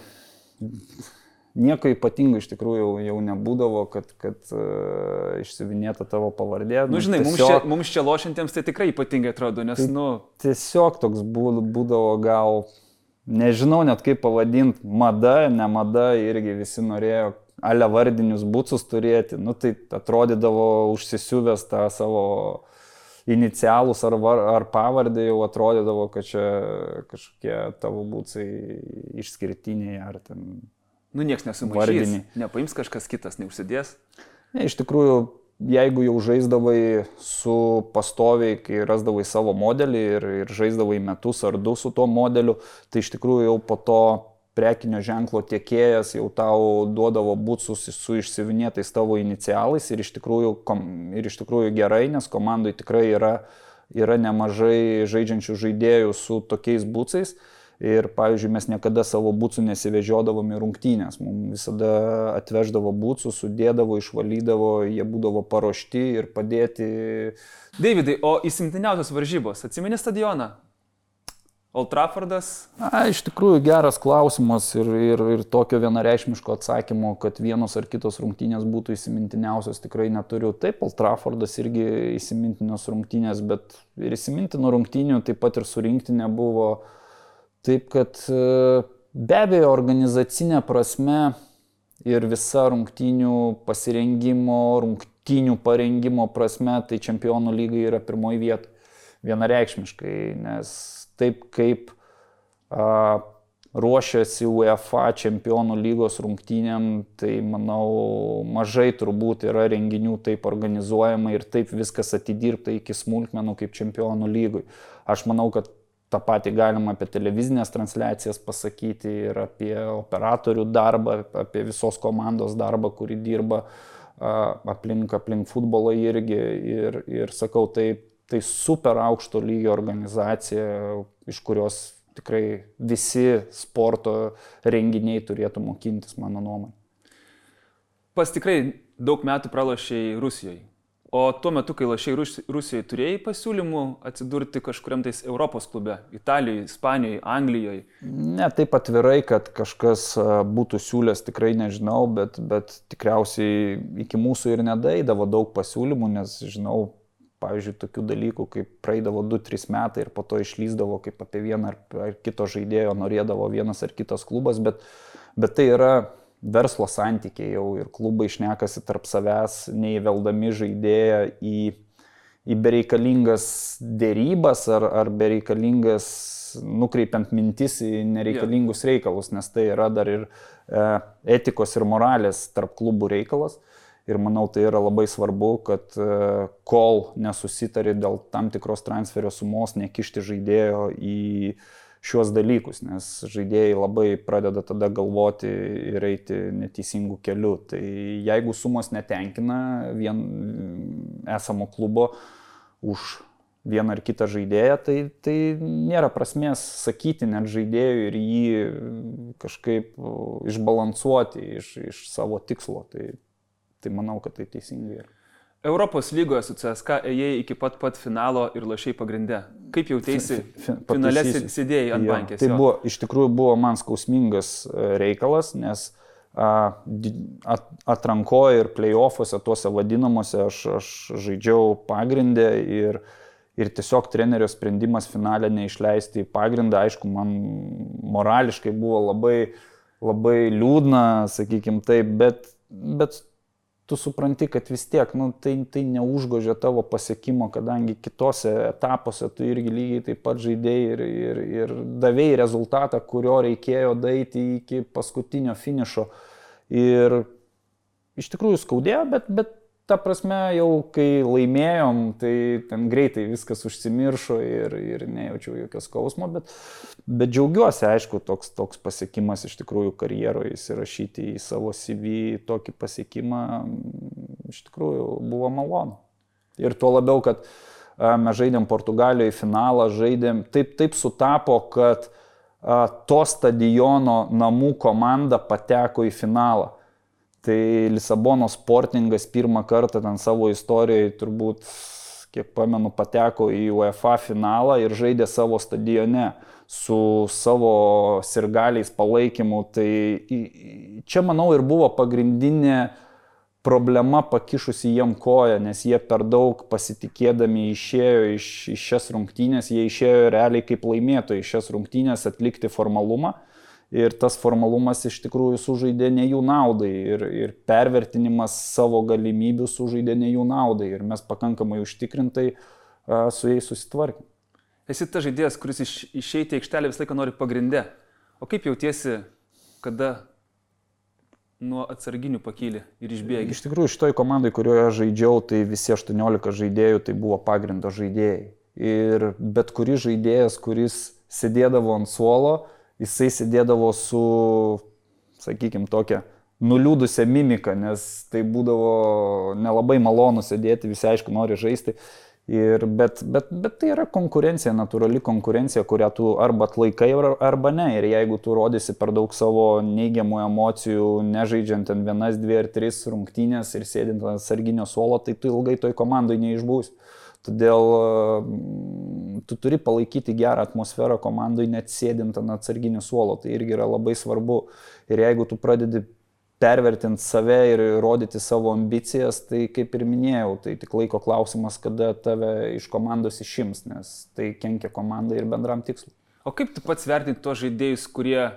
nieko ypatingo iš tikrųjų jau nebūdavo, kad išsiuvinėta tavo pavardė. Nu, žinai, mums čia lošintiems tai tikrai ypatingai atrodo, nes, Tiesiog toks būdavo gal, nežinau net kaip pavadinti, mada, ne mada, irgi visi norėjo ale vardinius būtsus turėti. Tai atrodydavo užsisiuvęs tą savo inicialus ar pavardę, jau atrodydavo, kad čia kažkokie tavo būtsai išskirtiniai ar ten nieks nesumaišys, nepaims kažkas kitas, neužsidės. Ne, iš tikrųjų, jeigu jau žaisdavai su pastoviai, kai rasdavai savo modelį ir žaisdavai metus ar du su tuo modeliu, tai iš tikrųjų jau po to prekinio ženklo tiekėjas jau tau duodavo būtsus su išsiuvinėtais tavo inicialais ir iš tikrųjų gerai, nes komandai tikrai yra nemažai žaidžiančių žaidėjų su tokiais būtsais. Ir, pavyzdžiui, mes niekada savo būtsų nesivežiodavom į rungtynės. Mums visada atveždavo būtsų, sudėdavo, išvalydavo, jie būdavo paruošti ir padėti. Davidai, o įsimintiniausios varžybos, atsimeni stadioną? Old Traffordas? Iš tikrųjų geras klausimas ir tokio vienareikšmiško atsakymo, kad vienos ar kitos rungtynės būtų įsimintiniausios, tikrai neturiu. Taip, Old Traffordas irgi įsimintinos rungtynės, bet ir įsimintino rungtynių taip pat ir su rinktinė buvo. Taip, kad be abejo organizacinė prasme ir visa rungtynių pasirengimo, rungtynių parengimo prasme, tai Čempionų lyga yra pirmoji vieta. Vienareikšmiškai, nes taip kaip ruošiasi UEFA Čempionų lygos rungtynėm, tai manau mažai turbūt yra renginių taip organizuojama ir taip viskas atidirbta iki smulkmenų kaip Čempionų lygoj. Aš manau, kad tą patį galima apie televizinės transliacijas pasakyti ir apie operatorių darbą, apie visos komandos darbą, kuri dirba aplink futbolą irgi. Ir sakau, tai super aukšto lygio organizacija, iš kurios tikrai visi sporto renginiai turėtų mokintis, mano nuomonė. Pas tikrai daug metų pralošei Rusijoje. O tuo metu, kai lošiai Rusijoje, turėjai pasiūlymų atsidurti kažkuriam tais Europos klube? Italijoje, Ispanijoje, Anglijoje? Ne, taip atvirai, kad kažkas būtų siūlęs, tikrai nežinau, bet tikriausiai iki mūsų ir nedaeidavo daug pasiūlymų, nes žinau, pavyzdžiui, tokių dalykų, kaip praeidavo 2-3 metai ir po to išlyzdavo, kaip apie vieną ar kito žaidėjo norėdavo vienas ar kitas klubas, bet tai yra verslo santykiai jau ir klubai šnekasi tarp savęs, neįveldami žaidėją į bereikalingas dėrybas ar bereikalingas nukreipiant mintis į nereikalingus reikalus, nes tai yra dar ir etikos ir moralės tarp klubų reikalas. Ir manau, tai yra labai svarbu, kad kol nesusitari dėl tam tikros transferio sumos, nekišti žaidėjo į šiuos dalykus, nes žaidėjai labai pradeda tada galvoti ir eiti neteisingų kelių. Tai jeigu sumos netenkina vien esamo klubo už vieną ar kitą žaidėją, tai nėra prasmės sakyti net žaidėjui ir jį kažkaip išbalansuoti iš savo tikslo. Tai manau, kad tai teisingai yra. Europos lygoje su CSKA ėjai iki pat finalo ir lošiai pagrinde. Kaip jautėsi finale sėdėjai ant bankės? Tai iš tikrųjų buvo man skausmingas reikalas, nes atrankoje ir play-offuose, tuose vadinamuose, aš žaidžiau pagrindę ir tiesiog trenerio sprendimas finale neišleisti į pagrindą. Aišku, man morališkai buvo labai liūdna, sakykim taip, bet tu supranti, kad vis tiek tai neužgožia tavo pasiekimo, kadangi kitose etapuose tu irgi lygiai taip pat žaidėjai ir davėjai rezultatą, kurio reikėjo daeiti iki paskutinio finišo. Ir iš tikrųjų skaudėjo, bet ta prasme, jau kai laimėjom, tai ten greitai viskas užsimiršo ir nejaučiau jokio skausmo, bet džiaugiuosi, aišku, toks pasiekimas iš tikrųjų karjeroje, įsirašyti į savo CV tokį pasiekimą, iš tikrųjų buvo malonu. Ir tuo labiau, kad mes žaidėm Portugalijoje finalą, taip sutapo, kad to stadiono namų komanda pateko į finalą. Tai Lisabonos Sportingas pirmą kartą ten savo istorijoje turbūt, kiek pamenu, pateko į UEFA finalą ir žaidė savo stadione su savo sirgaliais palaikymu. Tai čia, manau, ir buvo pagrindinė problema pakišusi jiem koją, nes jie per daug pasitikėdami išėjo iš šias rungtynės, jie išėjo realiai kaip laimėtojai iš šias rungtynės atlikti formalumą. Ir tas formalumas iš tikrųjų sužaidė ne jų naudai ir pervertinimas savo galimybių sužaidė ne jų naudai ir mes pakankamai užtikrintai su jais susitvarkėm. Esi tas žaidėjas, kuris išeiti į aikštelę visą laiką nori pagrinde. O kaip jautiesi, kada nuo atsarginių pakyli ir išbėgi? Iš tikrųjų, šitoj komandai, kurioje žaidžiau, tai visi 18 žaidėjų tai buvo pagrindo žaidėjai. Ir bet kuris žaidėjas, kuris sėdėdavo ant suolo, jisai sėdėdavo su, sakykime, tokia nuliūdusią mimiką, nes tai būdavo nelabai malonu sėdėti, visi aišku nori žaisti. Bet tai yra konkurencija, natūrali konkurencija, kurią tu arba atlaikai, arba ne. Ir jeigu tu rodysi per daug savo neigiamų emocijų, nežaidžiant ten 1, 2 ar 3 rungtynės ir sėdint ant sarginio suolo, tai tu ilgai toj komandai neišbūsi. Todėl tu turi palaikyti gerą atmosferą komandai, net sėdint ant atsarginio suolo. Tai irgi yra labai svarbu. Ir jeigu tu pradedi pervertinti save ir rodyti savo ambicijas, tai kaip ir minėjau, tai tik laiko klausimas, kada tave iš komandos išims, nes tai kenkia komandai ir bendram tikslui. O kaip tu pats vertinti tuos žaidėjus, kurie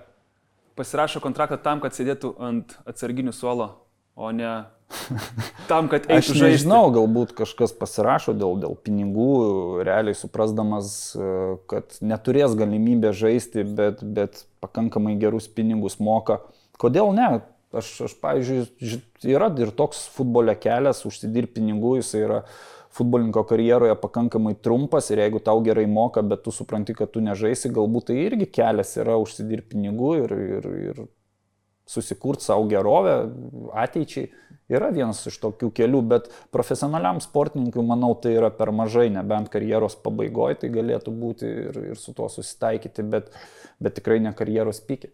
pasirašo kontraktą tam, kad sėdėtų ant atsarginių suolo, o ne tam, kad eitų žaisti? Aš nežinau, galbūt kažkas pasirašo dėl pinigų, realiai suprasdamas, kad neturės galimybę žaisti, bet pakankamai gerus pinigus moka. Kodėl ne? Aš pavyzdžiui, yra ir toks futbole kelias, užsidirbti pinigų, jis yra futbolininko karjeroje pakankamai trumpas ir jeigu tau gerai moka, bet tu supranti, kad tu nežaisi, galbūt tai irgi kelias yra užsidirbti pinigų ir susikurti savo gerovę ateičiai. Yra vienas iš tokių kelių, bet profesionaliam sportininkui, manau, tai yra per mažai, nebent karjeros pabaigoje tai galėtų būti ir su tuo susitaikyti, bet tikrai ne karjeros pike.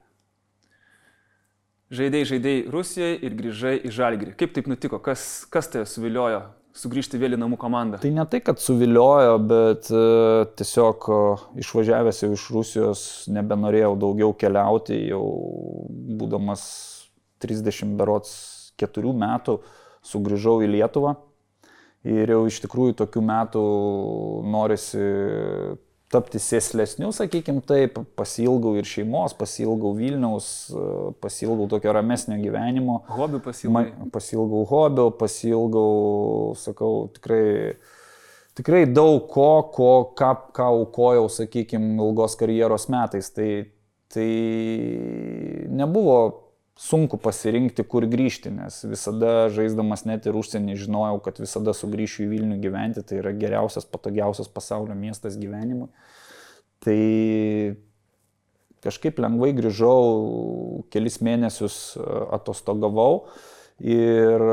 Žaidėjai Rusijoje ir grįžai į Žalgirį. Kaip taip nutiko? Kas tave suviliojo sugrįžti vėl į namų komandą? Tai ne tai, kad suviliojo, bet tiesiog išvažiavęs jau iš Rusijos nebenorėjau daugiau keliauti, jau būdamas 34 metų sugrįžau į Lietuvą ir jau iš tikrųjų tokių metų norisi tapti sėslesniu, sakykime taip, pasiilgau ir šeimos, pasiilgau Vilniaus, pasiilgau tokio ramesnio gyvenimo. Hobių pasiilgau? Pasiilgau hobių, pasiilgau, sakau, tikrai daug ką aukojau, sakykime, ilgos karjeros metais. Tai nebuvo sunku pasirinkti, kur grįžti, nes visada žaisdamas net ir užsienį žinojau, kad visada sugrįšiu į Vilnių gyventi, tai yra geriausias, patogiausias pasaulio miestas gyvenimui. Tai kažkaip lengvai grįžau, kelis mėnesius atostogavau ir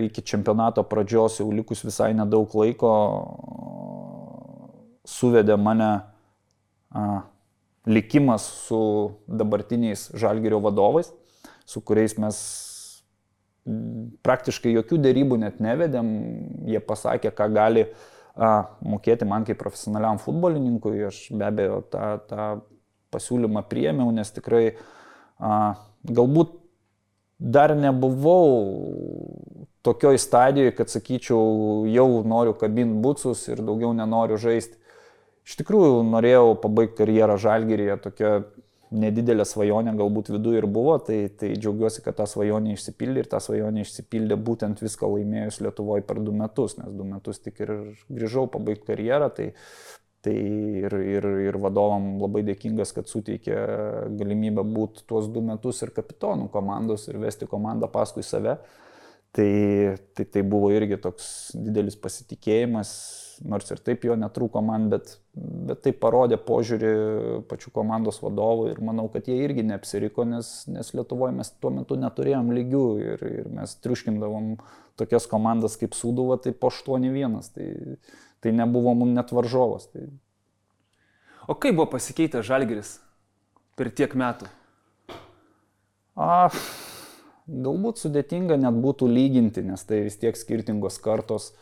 iki čempionato pradžios jau likus visai nedaug laiko suvedė mane likimas su dabartiniais Žalgirio vadovais, su kuriais mes praktiškai jokių derybų net nevedėm. Jie pasakė, ką gali mokėti man kaip profesionaliam futbolininkui. Aš be abejo tą pasiūlymą priėmiau, nes tikrai galbūt dar nebuvau tokioj stadijoje, kad sakyčiau, jau noriu kabinti bucus ir daugiau nenoriu žaisti. Iš tikrųjų norėjau pabaigti karjerą Žalgiryje, tokia nedidelė svajonė galbūt viduje ir buvo, tai džiaugiuosi, kad ta svajonė išsipildė ir ta svajonė išsipildė būtent viską laimėjus Lietuvoje per 2 metus, nes 2 metus tik ir grįžau pabaigti karjerą, tai ir vadovam labai dėkingas, kad suteikė galimybę būti tuos 2 metus ir kapitonų komandos ir vesti komandą paskui save. Tai buvo irgi toks didelis pasitikėjimas, nors ir taip jo netrūko man, bet tai parodė požiūrį pačių komandos vadovų ir manau, kad jie irgi neapsiriko, nes Lietuvoje mes tuo metu neturėjom lygių ir mes triuškindavom tokias komandas kaip Sūduva, tai po 8-1, tai nebuvo mums net varžovas. Tai... O kaip buvo pasikeitęs Žalgiris per tiek metų? Galbūt sudėtinga net būtų lyginti, nes tai vis tiek skirtingos kartos,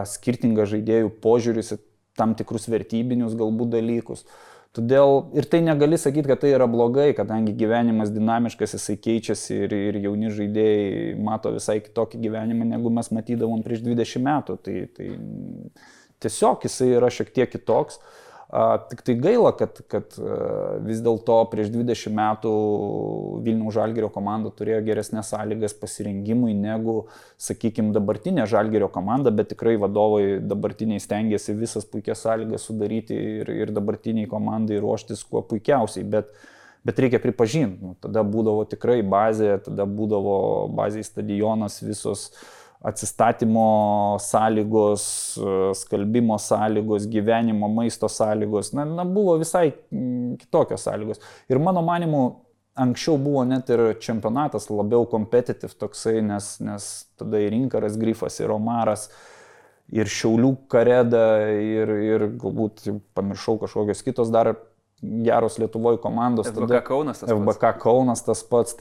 skirtingas žaidėjų požiūris į tam tikrus vertybinius galbūt dalykus. Todėl ir tai negali sakyti, kad tai yra blogai, kadangi gyvenimas dinamiškas, jisai keičiasi ir jauni žaidėjai mato visai kitokį gyvenimą, negu mes matydavom prieš 20 metų. Tai tiesiog jisai yra šiek tiek kitoks. Tik tai gaila, kad vis dėlto prieš 20 metų Vilniaus Žalgirio komanda turėjo geresnės sąlygas pasirengimui negu, sakykime, dabartinė Žalgirio komanda, bet tikrai vadovai dabartiniai stengiasi visas puikias sąlygas sudaryti ir dabartiniai komandai ruoštis kuo puikiausiai, bet reikia pripažinti, tada būdavo tikrai bazė, tada būdavo bazė stadionas, visos atsistatymo sąlygos, skalbimo sąlygos, gyvenimo, maisto sąlygos, buvo visai kitokios sąlygos. Ir mano manimu, anksčiau buvo net ir čempionatas labiau competitive toksai, nes tada ir Inkaras Grifas, ir Omaras, ir Šiaulių Kareda, ir galbūt pamiršau kažkokios kitos dar geros Lietuvoje komandos. FBK Kaunas tas pats.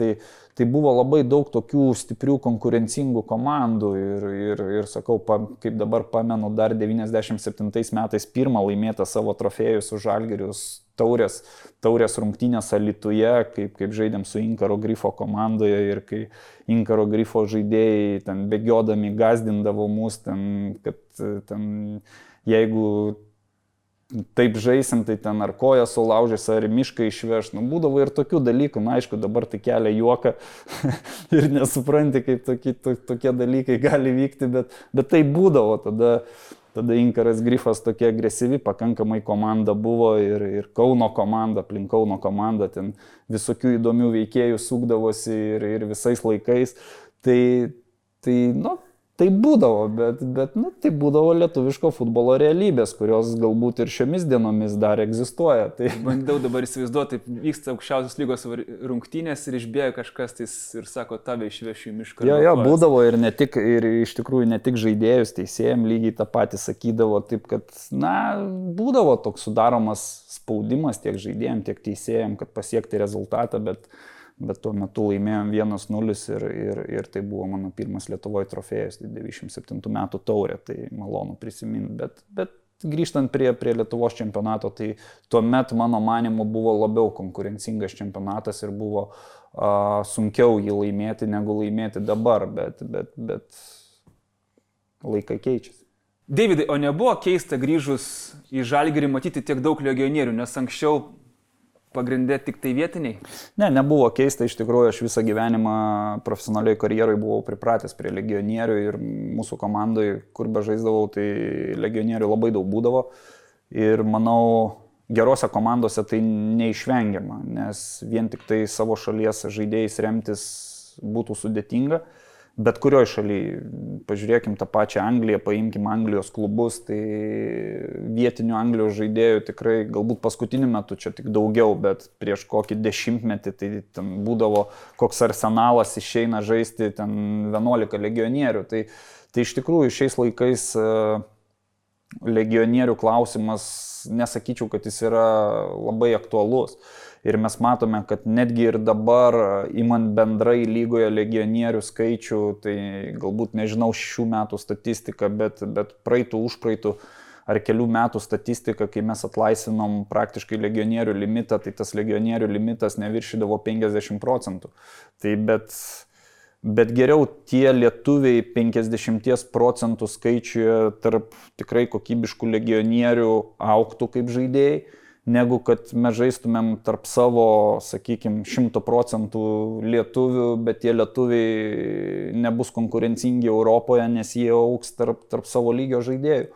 Tai buvo labai daug tokių stiprių konkurencingų komandų ir sakau, kaip dabar pamenu, dar 97 metais pirmą laimėtą savo trofėjų su Žalgiriu taurės rungtynės Alytuje, kaip žaidėm su Inkaro Grifo komandoje ir kai Inkaro Grifo žaidėjai ten bėgiodami gazdindavo mus, kad jeigu taip žaisim, tai ten ar koją sulaužys, ar mišką išveš. Būdavo ir tokių dalykų, aišku, dabar tai kelia juoką ir nesupranti, kaip tokie dalykai gali vykti, bet tai būdavo. Tada Inkaras Grifas tokia agresyvi, pakankamai komanda buvo ir Kauno komanda, aplink Kauno komandą, ten visokių įdomių veikėjų sukdavosi ir visais laikais. Tai būdavo, bet tai būdavo lietuviško futbolo realybės, kurios galbūt ir šiomis dienomis dar egzistuoja. Tai... Bandau dabar įsivaizduoti, taip vyksta aukščiausios lygos rungtynės ir išbėga kažkas ir sako, tave išvešiu į mišką. Jo, būdavo ir iš tikrųjų ne tik žaidėjus, teisėjams lygiai tą patį sakydavo, taip kad, būdavo toks sudaromas spaudimas tiek žaidėjams, tiek teisėjams, kad pasiekti rezultatą, bet tuo metu laimėjom 1-0 ir tai buvo mano pirmas Lietuvoje trofėjas, tai 97 metų taurė, tai malonu prisiminti. Bet grįžtant prie Lietuvos čempionato, tai tuomet mano manimu buvo labiau konkurencingas čempionatas ir buvo sunkiau jį laimėti negu laimėti dabar, bet laikai keičiasi. Deividai, o nebuvo keista grįžus į Žalgirį matyti tiek daug legionierių, nes anksčiau pagrindė tik tai vietiniai? Ne, nebuvo keista, iš tikrųjų aš visą gyvenimą profesionaliai karjeroje buvau pripratęs prie legionierių ir mūsų komandoje, kur bežaisdavau, tai legionierių labai daug būdavo ir manau, gerose komandose tai neišvengiama, nes vien tik tai savo šalies žaidėjais remtis būtų sudėtinga. Bet kurioje šalyje, pažiūrėkim tą pačią Angliją, paimkim Anglijos klubus, tai vietinių Anglijos žaidėjų tikrai galbūt paskutiniu metu čia tik daugiau, bet prieš kokį 10 metį tai ten būdavo koks Arsenalas išeina žaisti ten 11 legionierių. Tai iš tikrųjų šiais laikais legionierių klausimas, nesakyčiau, kad jis yra labai aktualus. Ir mes matome, kad netgi ir dabar, imant bendrai lygoje legionierių skaičių, tai galbūt nežinau šių metų statistiką, bet praeitų, užpraeitų ar kelių metų statistiką, kai mes atlaisvinom praktiškai legionierių limitą, tai tas legionierių limitas neviršydavo 50%. Tai bet geriau tie lietuviai 50% skaičiuje tarp tikrai kokybiškų legionierių augtų kaip žaidėjai, negu kad mes žaistumėm tarp savo, sakykime, 100% lietuvių, bet tie lietuviai nebus konkurencingi Europoje, nes jie augs tarp savo lygio žaidėjų.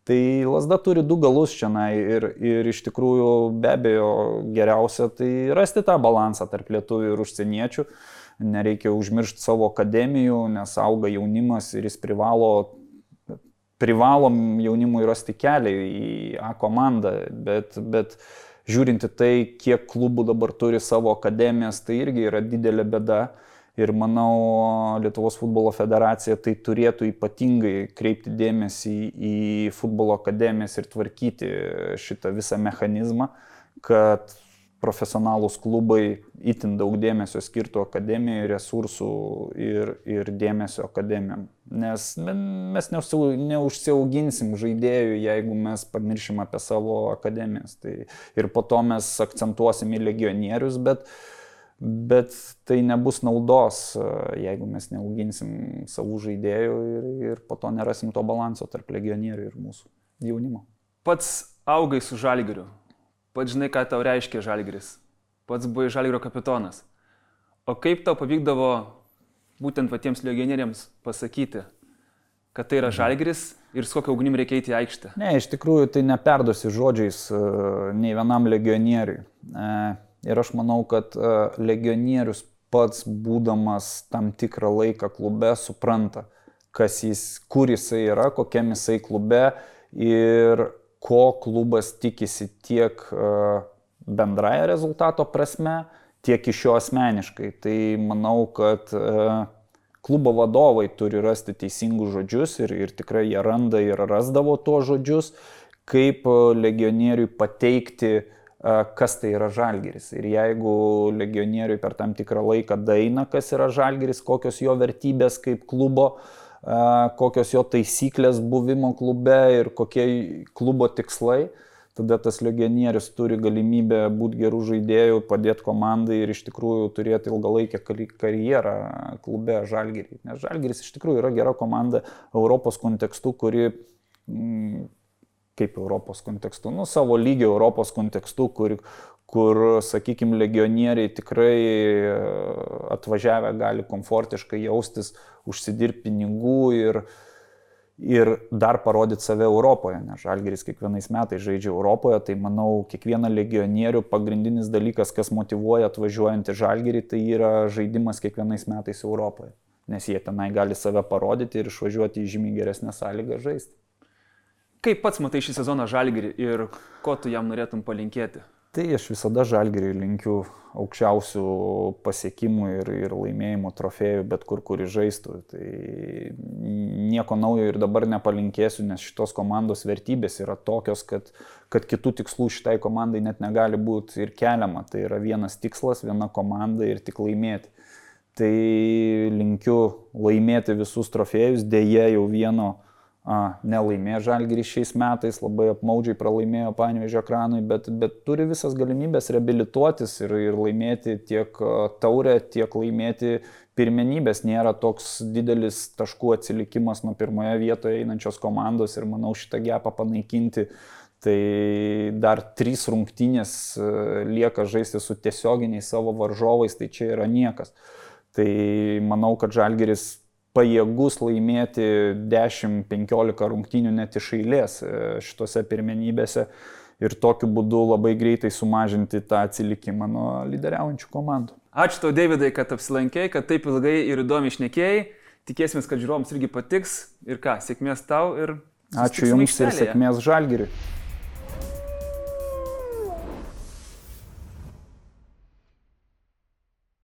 Tai lazda turi du galus šiandien ir iš tikrųjų be abejo geriausia tai rasti tą balansą tarp lietuvių ir užsieniečių, nereikia užmiršti savo akademijų, nes auga jaunimas ir jis privalom jaunimui rasti kelią į A komandą, bet žiūrinti tai, kiek klubų dabar turi savo akademijas, tai irgi yra didelė bėda. Ir manau, Lietuvos futbolo federacija tai turėtų ypatingai kreipti dėmesį į futbolo akademijas ir tvarkyti šitą visą mechanizmą, kad profesionalūs klubai itin daug dėmesio skirtų akademijai, resursų ir dėmesio akademijam. Nes mes neužsiauginsim žaidėjų, jeigu mes pamiršim apie savo akademijas. Tai ir po to mes akcentuosim į legionierius, bet tai nebus naudos, jeigu mes neauginsim savų žaidėjų ir po to nerasim to balanso tarp legionierių ir mūsų jaunimo. Pats augai su Žalgiriu. Pats žinai, ką tau reiškia Žalgiris. Pats buvai Žalgirio kapitonas. O kaip tau pavykdavo būtent patiems legionieriams pasakyti, kad tai yra Žalgiris ir su kokiu ugnim reikia eiti į aikštę? Ne, iš tikrųjų tai neperduosi žodžiais nei vienam legionieriui. Ir aš manau, kad legionierius pats būdamas tam tikrą laiką klube supranta, kur jisai yra, kokiam jisai klube ir ko klubas tikisi tiek bendraja rezultato prasme, tiek iš jo asmeniškai. Tai manau, kad klubo vadovai turi rasti teisingus žodžius ir tikrai jie randa ir rasdavo tuos žodžius, kaip legionieriui pateikti, kas tai yra Žalgiris. Ir jeigu legionieriui per tam tikrą laiką daeina, kas yra Žalgiris, kokios jo vertybės kaip klubo, kokios jo taisyklės buvimo klube ir kokie klubo tikslai, tada tas legionierius turi galimybę būti gerų žaidėjų, padėti komandai ir iš tikrųjų turėti ilgalaikę karjerą klube Žalgirį. Nes Žalgiris iš tikrųjų yra gera komanda Europos kontekstu, kuri, kaip Europos kontekstu, savo lygio Europos kontekstu, kur, sakykime, legionieriai tikrai atvažiavę gali komfortiškai jaustis, užsidirbti pinigų ir dar parodyti save Europoje. Nes Žalgiris kiekvienais metais žaidžia Europoje, tai manau, kiekvieną legionierių pagrindinis dalykas, kas motyvuoja atvažiuojant į Žalgirį, tai yra žaidimas kiekvienais metais Europoje. Nes jie tenai gali save parodyti ir išvažiuoti į žymiai geresnę sąlygą žaisti. Kaip pats matai šį sezoną Žalgirį ir ko tu jam norėtum palinkėti? Tai aš visada Žalgiriui linkiu aukščiausių pasiekimų ir laimėjimų trofėjų, bet kur žaistų. Tai nieko naujo ir dabar nepalinkėsiu, nes šitos komandos vertybės yra tokios, kad kitų tikslų šitai komandai net negali būti ir keliama. Tai yra vienas tikslas, viena komanda ir tik laimėti. Tai linkiu laimėti visus trofėjus, deja jau vieno nelaimėjo Žalgiris šiais metais, labai apmaudžiai pralaimėjo Panevėžio Ekranui, bet turi visas galimybės reabilituotis ir laimėti tiek taurę, tiek laimėti pirmenybės. Nėra toks didelis taškų atsilikimas nuo pirmoje vietoje einančios komandos ir manau šitą gepą panaikinti. Tai dar 3 rungtynės lieka žaisti su tiesioginiais savo varžovais, tai čia yra niekas. Tai manau, kad Žalgiris pajėgus laimėti 10-15 rungtynių net iš eilės šitose pirmenybėse ir tokiu būdu labai greitai sumažinti tą atsilikimą nuo lyderiaujančių komandų. Ačiū tau, Deividai, kad apsilankei, kad taip ilgai ir įdomiai šnekėjai. Tikėsimės, kad žiūrovams irgi patiks. Ir ką, sėkmės tau ir ačiū Jums ir sėkmės Žalgiriui.